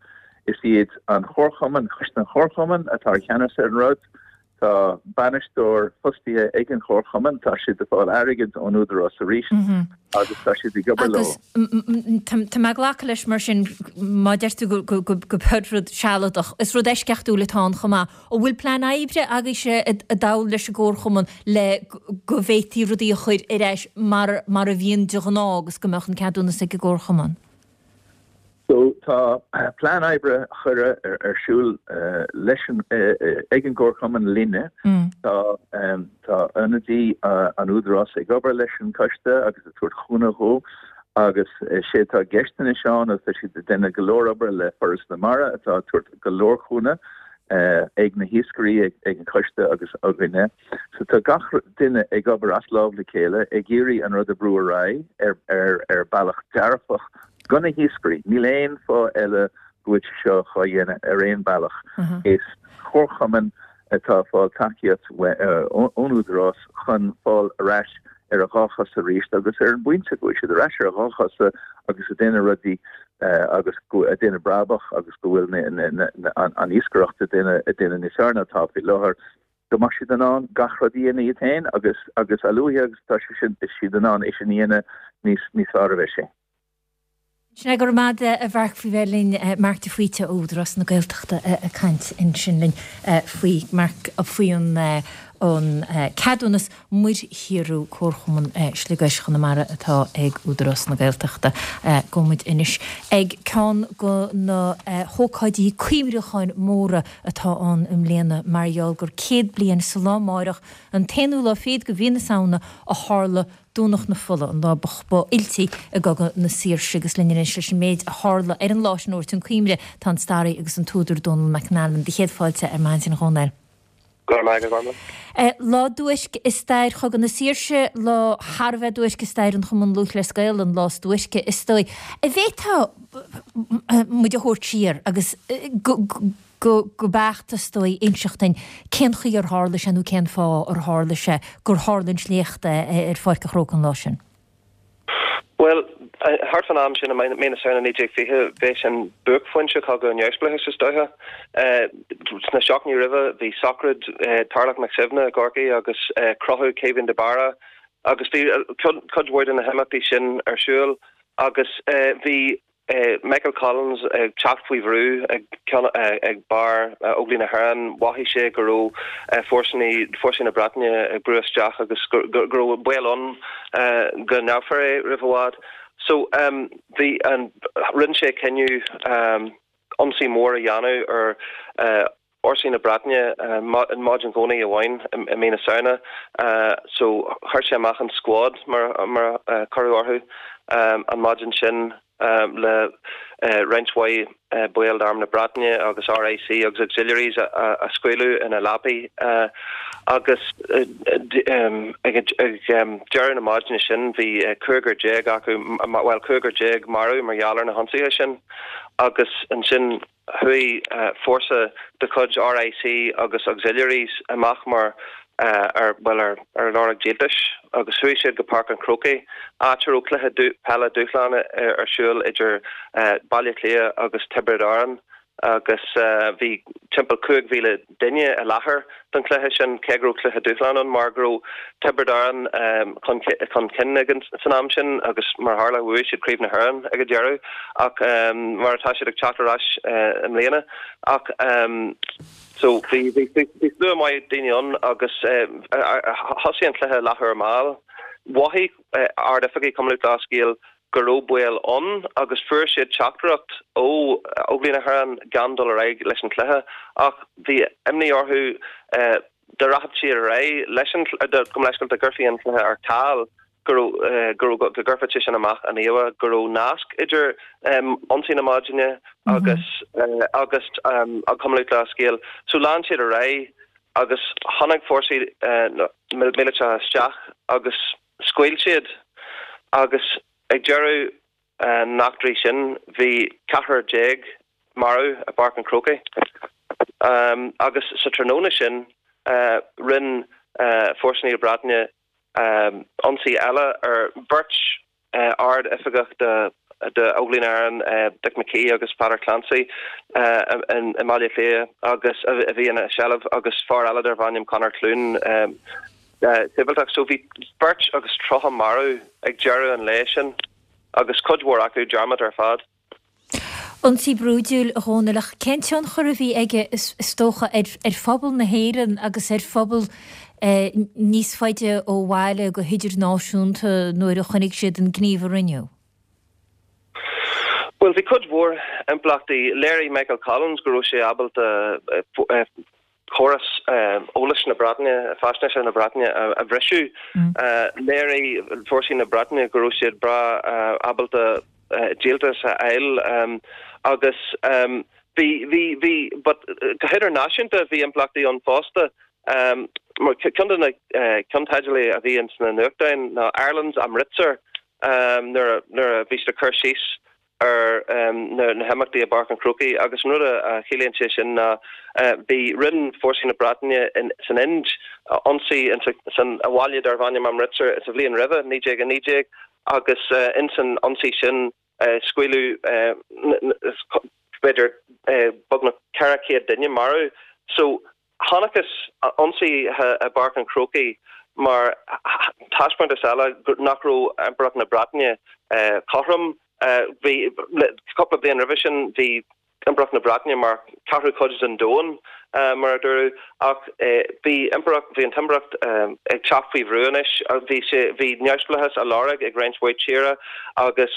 Is iad an Chomharchumann, Coiste an Chomharchumainn atá i cheannas ar an rud. Tá bainisteoir fostaithe ag an Chomharchumann, tá siad ag fáil airgid ón Údarás arís agus tá siad ag obair leo. Agus tá mé ag glacadh leis mar sin, má deir tú go b'shin rud sealadach, is rud eisceachtúil atá ann chomh maith. An bhfuil plean oibre agaibhse i dtoll leis an gComharchumann le go bhféadfaí rudaí a chur ar ais mar mar a bhíonn de ghnáth agus go mbeadh an ceadúnas ag an gComharchumann? So tá plean oibre curtha ar siúl leis an ag an gComharchumann linne. Tá tá ionadaí an Údarás ag obair leis an coiste agus ag tabhairt chúnamh dhó agus sé atá i gceist anois ann agus tá siad ag déanamh go leor obair le Foras na Mara atá ag tabhairt go leor cúnamh ag na hiascairí, ag an choiste agus againne. So tá gach duine ag obair as lámh le chéile ag iarraidh an rud a bhrú ar aghaidh ar ar bealach dearfach do na hiascairí. Níl aon fáth eile go bhfuil sé seo dhá dhéanamh ar aon bealach. Is comharchumann atá ag fáil tacaíocht ón Údarás chun fáil ar ais ar a dhá chosa arís agus ar an bpointe go bhfuil siad ar ais ar a dhá chosa agus ag déanamh rudaí agus ag déanamh brabach agus go bhfuil an iascaireacht ag déanamh níos fearr ná atá faoi láthair, go mbeadh siad in ann gach rud a dhéanamh iad féin agus agus a luaithe agus atá sé sin siad in ann é sin a dhéanamh níos níos fearr a bheidh sé. Sin é, go raibh maith agat a Mharc faoi bheith linn, Marc de Faoite ó Údarás na Gaeltachta ag caint ansin linn faoi Marc faoi an an ceadúnas muirshaothrú Comharchumann Sliogéisc Chonamara atá ag Údarás na Gaeltachta. Gabhfaidh muid anois ag ceann de na hócáidí cuimhneacháin móra atá ann i mbliana mar gheall gur 100 bliain sa lá amáireach, an t-aonú lá fichead de mhí na Samhna, a tharla Domhnach na Fola, an lá ba fhuiltí i gCogadh na Saoirse. Agus linn anois leis an méid a tharla ar an lá sin a thabhairt chun cuimhne tá an staraí agus an t-údar Dónal McAnallen. Do chéad fáilte ar maidin, a Dhónaill. Go raibh maith agat, a Ghormfhlaith. Lá duairc i stair Chogadh na Saoirse, lá thar a bheith duairc i stair an Chumann Lúthchleas Gael, an lá is duairce, is dóigh. An bhféadfá muid a thabhairt siar agus go beacht, is dóigh, inseacht duinn cén chaoi ar tharla sé nó cén fáth ar tharla sé gur tharla an sléacht ar Pháirc an Chrócaigh an lá sin? Bhuel, thart fán am sin i mí na Samhna 1920, b'é sin buaicphointe Chogadh an Neamhspleáchais is dóiche. Sna seachtainí roimhe, bhí sochraid Tarlach Mac Suibhne i gCorcaigh agus crochadh Caoimhín de Barra agus bhí cuid mhór de na himeachtaí sin ar siúl agus bhí Michael Collins ag teacht faoi bhrú ag ag barr Óglaigh na hÉireann. Mhothaigh sé go raibh fórsaí fórsaí na Breataine ag brú isteach agus go raibh baol ann go ngabhfar é roimh i bhfad. So bhí an rinne sé cinneadh ionsaí mór a dhéanamh ar fhórsaí na Breataine maidin Dhomhnaigh amháin i mí na Samhna so chuir sé amach an squad mar a cuireadh orthu an maidin sin le roinnt mhaith baill d'Arm na Breataine agus RIC agus Auxiliaries a scaoileadh ina leapaí agus ag deireadh na maidine sin bhí 15 acu, bhuel 15 marbh mar gheall ar na hionsaithe sin agus ansin Chuaigh fórsa de chuid RIC agus Auxiliaries amach mar. Ar, bhuel, ar, ar lorg díoltais agus chuaigh siad go Páirc an Chrócaigh, áit a raibh cluiche peile dúshláin ar siúl idir Baile Átha Cliath agus Tiobraid Árann agus bhí timpeall 5,000 duine i láthair don chluiche sin, cé go raibh cluiche dúshláin ann, mar go raibh Tiobraid Árann chun chun cinn ag an, san am sin agus mar a tharla bhuaigh siad Craobh na hÉireann ag an deireadh ach mar atá siad ag teacht ar ais i mbliana ach. So bhí bhí bhí slua maith daoine ann agus thosaigh an cluiche leathuair mall. Mhothaigh Ard-Oifigigh Chumann Lúthchleas Gael go raibh baol ann agus fuair siad teachtaireacht ó Óglaigh na hÉireann gan dul ar aghaidh leis an chluiche ach bhí imní orthu dá rachadh siad ar aghaidh leis an, gabh mo leithscéal, dá gcuirfí an cluiche ar ceal. go raibh, go raibh, go gcuirfeadh sé sin amach an íomhá go raibh nasc idir ionsaí na maidine agus, agus an Cumann Lúthchleas Gael. So lean siad ar aghaidh agus tháinig fórsaí míleatacha isteach agus scaoil siad agus ag deireadh na n-eachtraí sin bhí ceathrar marbh i bPáirc an Chrócaigh agus sa tráthnóna sin rinne fórsaí na Breataine ionsaí eile ar bheirt ard-oifigeach d'Óglaigh na hÉireann, Dick McKee agus Peadar Clancy, i mBaile Átha Cliath agus a bhí ina seilbh agus fear eile darbh ainm Conor Clune, sibhialtach. So bhí beirt agus 30 marbh ag deireadh an lae sin agus cuid mhór acu dearmad ar fad. Ionsaí brúidiúil, a Dhónaill, ach cén tionchar a bhí aige, is dócha, ar phobal na hÉireann agus ar phobal níos faide ó bhaile go hidirnáisiúnta nuair a chonaic siad an gníomh a rinneadh? Bhuel, bhí cuid mhór impleachtaí. Léirigh Michael Collins go raibh sé ábalta córas eolais na Breataine, faisnéise na Breataine a bhriseadh. Léirigh fórsaí na Breataine go raibh siad breá ábalta díoltas a fháil agus bhí, bhí, bhí, but go hidirnáisiúnta bhí impleachtaí ann fosta. Mar ceann de na ceannteidilí a bhí ins na nuachtáin ná Ireland's Amritsar nuair a bhí siad ag cur síos ar na himeachtaí i bPáirc an Chrócaigh agus an rud a chiallaíonn sé sin ná bhí rinne fórsaí na Breataine san Ind ionsaí san bhaile darbh ainm Amritsar sa bhliain roimhe, 1919, agus ins an ionsaí sin scaoileadh b'fhéidir beagnach 400 duine marbh. So chonacthas ionsaithe i bPáirc an Chrócaigh mar thaispeántas eile nach raibh Impireacht na Breataine cothrom. Bhí, cúpla bliain roimhe sin, bhí Impireacht na Breataine mar ceathrú cuid den domhan, mar a dúradh, ach bhí Impireacht, bhí an tImpireacht ag teacht faoi bhrú anois. Bhí sé, bhí neamhspleáchas á lorg ag roinnt mhaith tíortha agus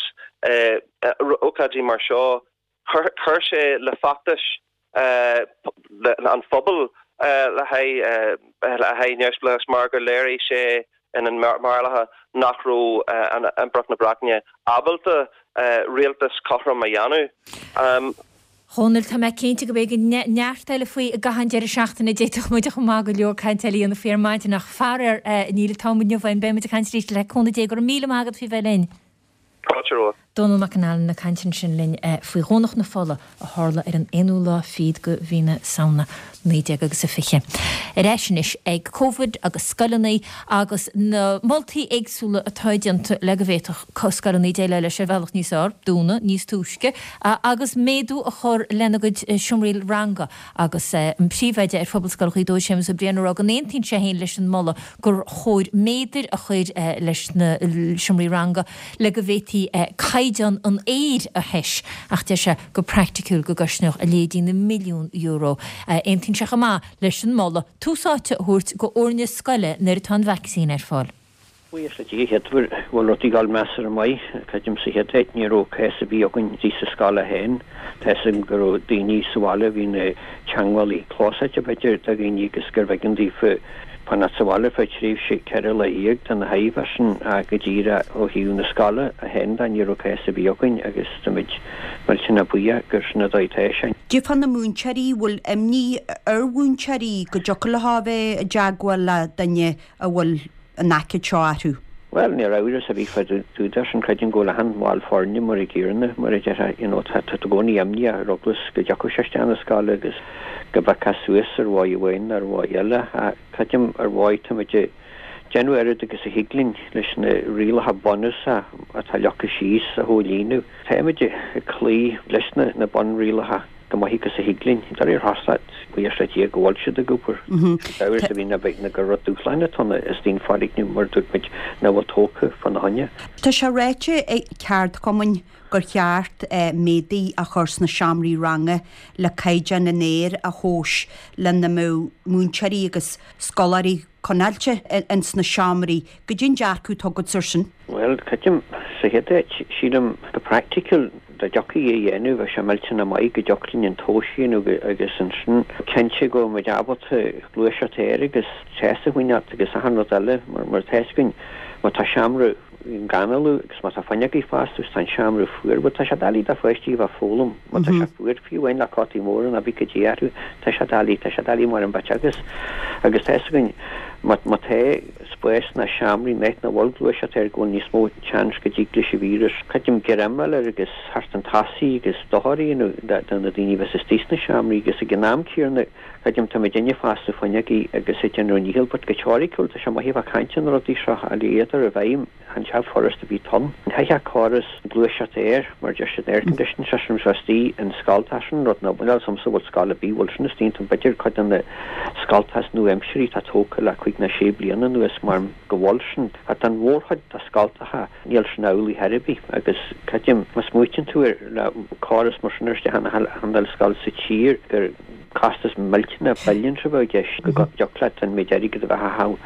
ócáidí mar seo, Chuir sé le feachtais an phobail le haghaidh neamhspleáchais mar gur léirigh sé ina mbarúlacha nach raibh Impireacht na Breataine ábalta rialtas cothrom a dhéanamh. Dhónaill, tá mé cinnte go mbeidh neart eile faoi i gcaitheamh an deireadh seachtaine. D'fhéadfadh muid chomh maith go leor cainte eile a dhéanamh faoi ar maidin ach faraor níl an t-am inniu againn. Beidh muid ag caint arís le cúnamh Dé. Go raibh míle maith agat faoi bheith linn. Fáilte romhat. Dónall Mac an Ailin ag caint ansin linn faoi Dhomhnach na Fola a tharla ar an aonú lá fichead de mhí na Samhna, 19 agus a 20. Ar ais anois ag Covid agus scoileanna agus na moltaí éagsúla atá déanta le go bhféadfadh scoileanna déileáil leis ar bhealach níos fearr, dúnadh níos túisce agus méadú a chur lena gcuid seomraí ranga agus an príomhoide ar Phobalscoil Ghaoth Dobhair, Séamus Ó Briain, ag rá go n-aontaíonn sé féin leis an moladh gur chóir méadair a chur leis na seomraí ranga le go bhféadfaí caighdeán an aeir a thomhas ach deir sé go praiticiúil go gcosnódh a leithéidí na milliún euro. Aontaíonn sé chomh maith leis an moladh tús áite a thabhairt go fhoirne scoile nuair atá an vacsaín ar fáil. Buíochas le Dia, chéad uair go bhfuil rudaí ag dul measartha maith. Creidim sa chéad áit ní raibh cás ar bith againn istigh sa scoil féin. Tá fhios agam go raibh daoine sa bhaile a bhí ina teangmhálaí clósáite b'fhéidir do dhaoine agus gurbh éigean daofa fanacht sa bhaile feadh tréimhse 14 lá do na thaobh sin ach go díreach ó thaobh na scoile féin de ní raibh cás ar bith againn agus táimid millteanach buíoch gur sin an dóigh atá sé. Cad é fá na múinteoirí, bhfuil imní ar mhúinteoirí go dtiocfadh leo a bheith i dteagmháil le duine a bhfuil an aicíd seo orthu. Bhuel, níl amhras ar bith fá dtaobh de sin, creidim go bhfuil achan bhall foirne mar a gcéanna, mar a déarfá, you know, tá tú i gcónaí imníoch ar eagla go dtiocfadh sé isteach na scoile agus go bpiocfá suas ar mhodh amháin nó ar mhodh eile. Ach creidim ar mhodh táimid ag déanamh oiread agus a thig linn leis na rialacha bunúsacha atá leagtha síos a chomhlíonadh. Táimid ag cloí leis na bunrialacha. Chomh maith agus a thig linn. De réir chosúlacht, buíochas le Dia go bhfuil siad ag obair. Amhras a bhí ná beidh ná gur rud dúshláin atá ann istigh an foirgneamh mar a dúirt muid nach bhfuil tógtha fána choinne. Tá sé ráite ag ceardchumainn gur cheart méadaí a chur sna seomraí ranga le caighdeán an aeir a thomhas lena mbeadh múinteoirí agus scoláirí coinneáilte ins na seomraí. Goidé an dearcadh atá agatsa ar sin? Bhuel, creidim, sa chéad áit, sílim go praiticiúil, dá dtiocfaí é a dhéanamh, bheadh sé millteanach maith go dtiocfadh linn an tomhas a dhéanamh agus ansin cinnte go bhfuil muid ábalta gluaiseacht aeir agus teas a choinneáilt agus achan rud eile mar mar tá fhios againn má tá seomra gan análú agus má tá fuinneogaí foscailte agus tá an seomra fuar, bhuel tá sé doiligh do pháistí a bheith ag foghlaim má tá sé fuar, fiú amháin le cótaí móra nó pé cad é orthu, tá sé doiligh, tá sé doiligh mar an bit agus agus tá fhios againn má má tá spás sna seomraí in áit nach bhfuil gluaiseacht aeir go bhfuil níos mó seans go dtig leis an víreas creidim greim a fháil air agus theacht chun tosaigh agus dochar a dhéanamh do na daoine a bheas istigh sna seomraí agus ag an am céanna creidim tá muidinne ag foscladh fuinneogaí agus ag déanamh ár ndícheall but go teoiriciúil tá sé maith a bheith ag caint ar na rudaí seo ach le iad a chur i bhfeidhm Chan sé furast a bhí ann. Chaithfeadh córas gluaiseacht aeir, mar a deir siad, air conditioning system so istigh in scoltacha sin rud nach bhfuil agamsa bhfuil scoil ar bith bhfuil sin istigh iontu b'fhéidir cuid de na scoltacha is nua-aimsirí atá tógtha le cuig nó sé bliana anuas mar go bhfuil sin ach don mhórchuid de scoltacha níl sin amhlaidh chor ar bith agus creidim má smaoitíonn tú ar le córas mar sin isteach in achan uile scoil sa tír gur costas millteanach billions a bheadh i gceist go dtiocfadh leat an méid airgid a bheith á chaitheamh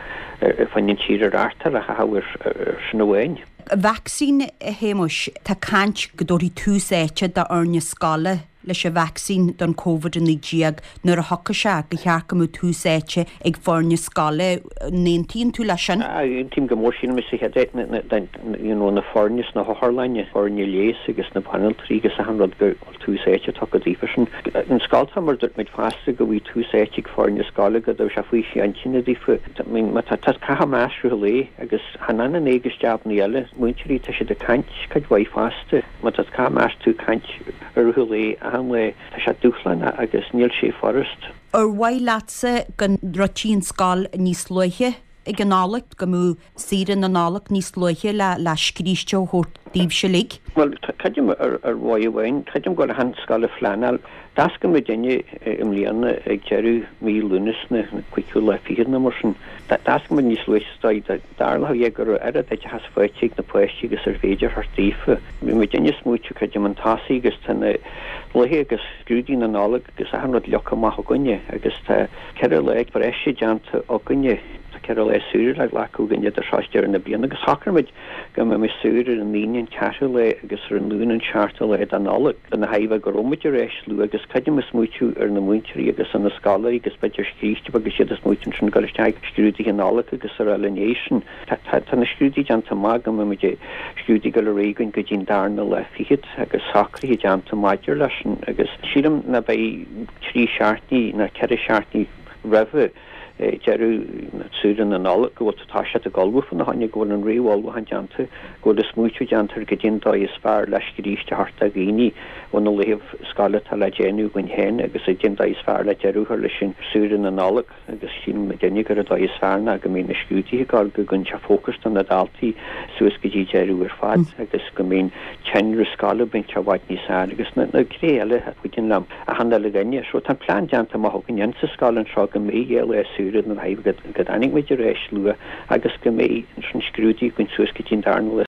ar fud an tír a reáchtáil a chaitheamh ar sin amháin. Vacsaín, a Shéamuis, tá caint go dtabharfaí tús áite d'fhoirne scoile leis an vacsaín don Covid-19 nuair a thiocfaidh sé, gur cheart go mbeadh tús áite ag foirne scoile. An aontaíonn tú leis sin? Aontaím go mór. Sílim sa chéad áit you know na foirne sna hotharlanna, foirne leighis agus na banaltraí agus achan rud go bhfuil tús áite tugtha daofa sin. An scoltacha mar dúirt muid fosta go bhfuil tús áite ag foirne scoile go raibh sé faoiseamh intinne daofa. I mean má tá tá caitheamh masc i rith an lae agus chan fhanann é agus jabannaí eile. Múinteoirí tá siad ag caint cuid mhaith fosta. Má tá caitheamh masc tú ag caint i rith an lae achan lá tá sé dúshlánach agus níl sé furast. Ar mhaith leatsa go ndruidfí an scoil níos luaithe ag an Nollaig, go mbeadh saoire na Nollag níos luaithe le le scríste a thabhairt daoibhse uilig? Bhuel, creidim ar mhodh amháin, creidim go bhfuil achan scoil ag pleanáil. D'oscail muidinne i mbliana ag deireadh mí Lúnasa, na cúigiú lá fichead nó mar sin. D'oscail muid níos luaithe is dóigh dá dtarlódh é go raibh oiread oideachas faighte ag na páistí agus ar féidir a thabhairt daofa. Bhí muidinne ag smaoitiú, creidim, chun tosaigh agus tá na laethe agus scrúduithe na Nollag agus achan rud leagtha amach againne agus tá 4 lá breise déanta againne, tá 4 lá saoire le glacadh againn idir seo is deireadh na bliana agus shocraigh muid go mbeidh muid saor ar an Aoine an ceathrú lá agus ar an Luan an seachtú lá de Nollaig ina thairbhe go raibh muid ar ais luath agus creidim ag smaoitiú ar na múinteoirí agus ar na scoláirí agus b'fhéidir scríste agus iad ag smaoitiú ansin dul isteach ag scrúduithe Nollag agus araile ina dhiaidh sin. Tá na scrúduithe déanta amach go mbeidh muid ag scrúduithe ag dul ar aghaidh againn go dtí an darna lá fichead agus socruithe déanta maidir leis sin agus sílim ná beidh trí seachtainí ná ceithre seachtainí roimhe deireadh saoire na Nollag go bhfuil tú tá siad ag ullmhú fána choinne, go bhfuil an réamh-ullmhúchán déanta, go bhfuil an smaoitiú déanta ar goidé an dóigh is fearr le scríste a thabhairt do dhaoine ó na laethibh scoile atá le déanamh againn féin agus goidé an dóigh is fearr le deireadh a chur leis an saoire na Nollag. agus síleann muidinne gur an dóigh is fearr ná go mbíonn na scrúduithe ag gabháil go gcuireann sé fócas do na daltaí suas go dtí deireadh ar fad agus go mbíonn tinreamh scoile bainte i bhfad níos fearr agus na na gnéithe eile a chuidíonn le achan uile dhuine. So tá an plean déanta amach againn insa scoil anseo go mbeidh 2 lá saoire na go go dtáinig muid ar ais luath agus go mbeidh ansin scrúduithe againn suas go dtí an darna lá.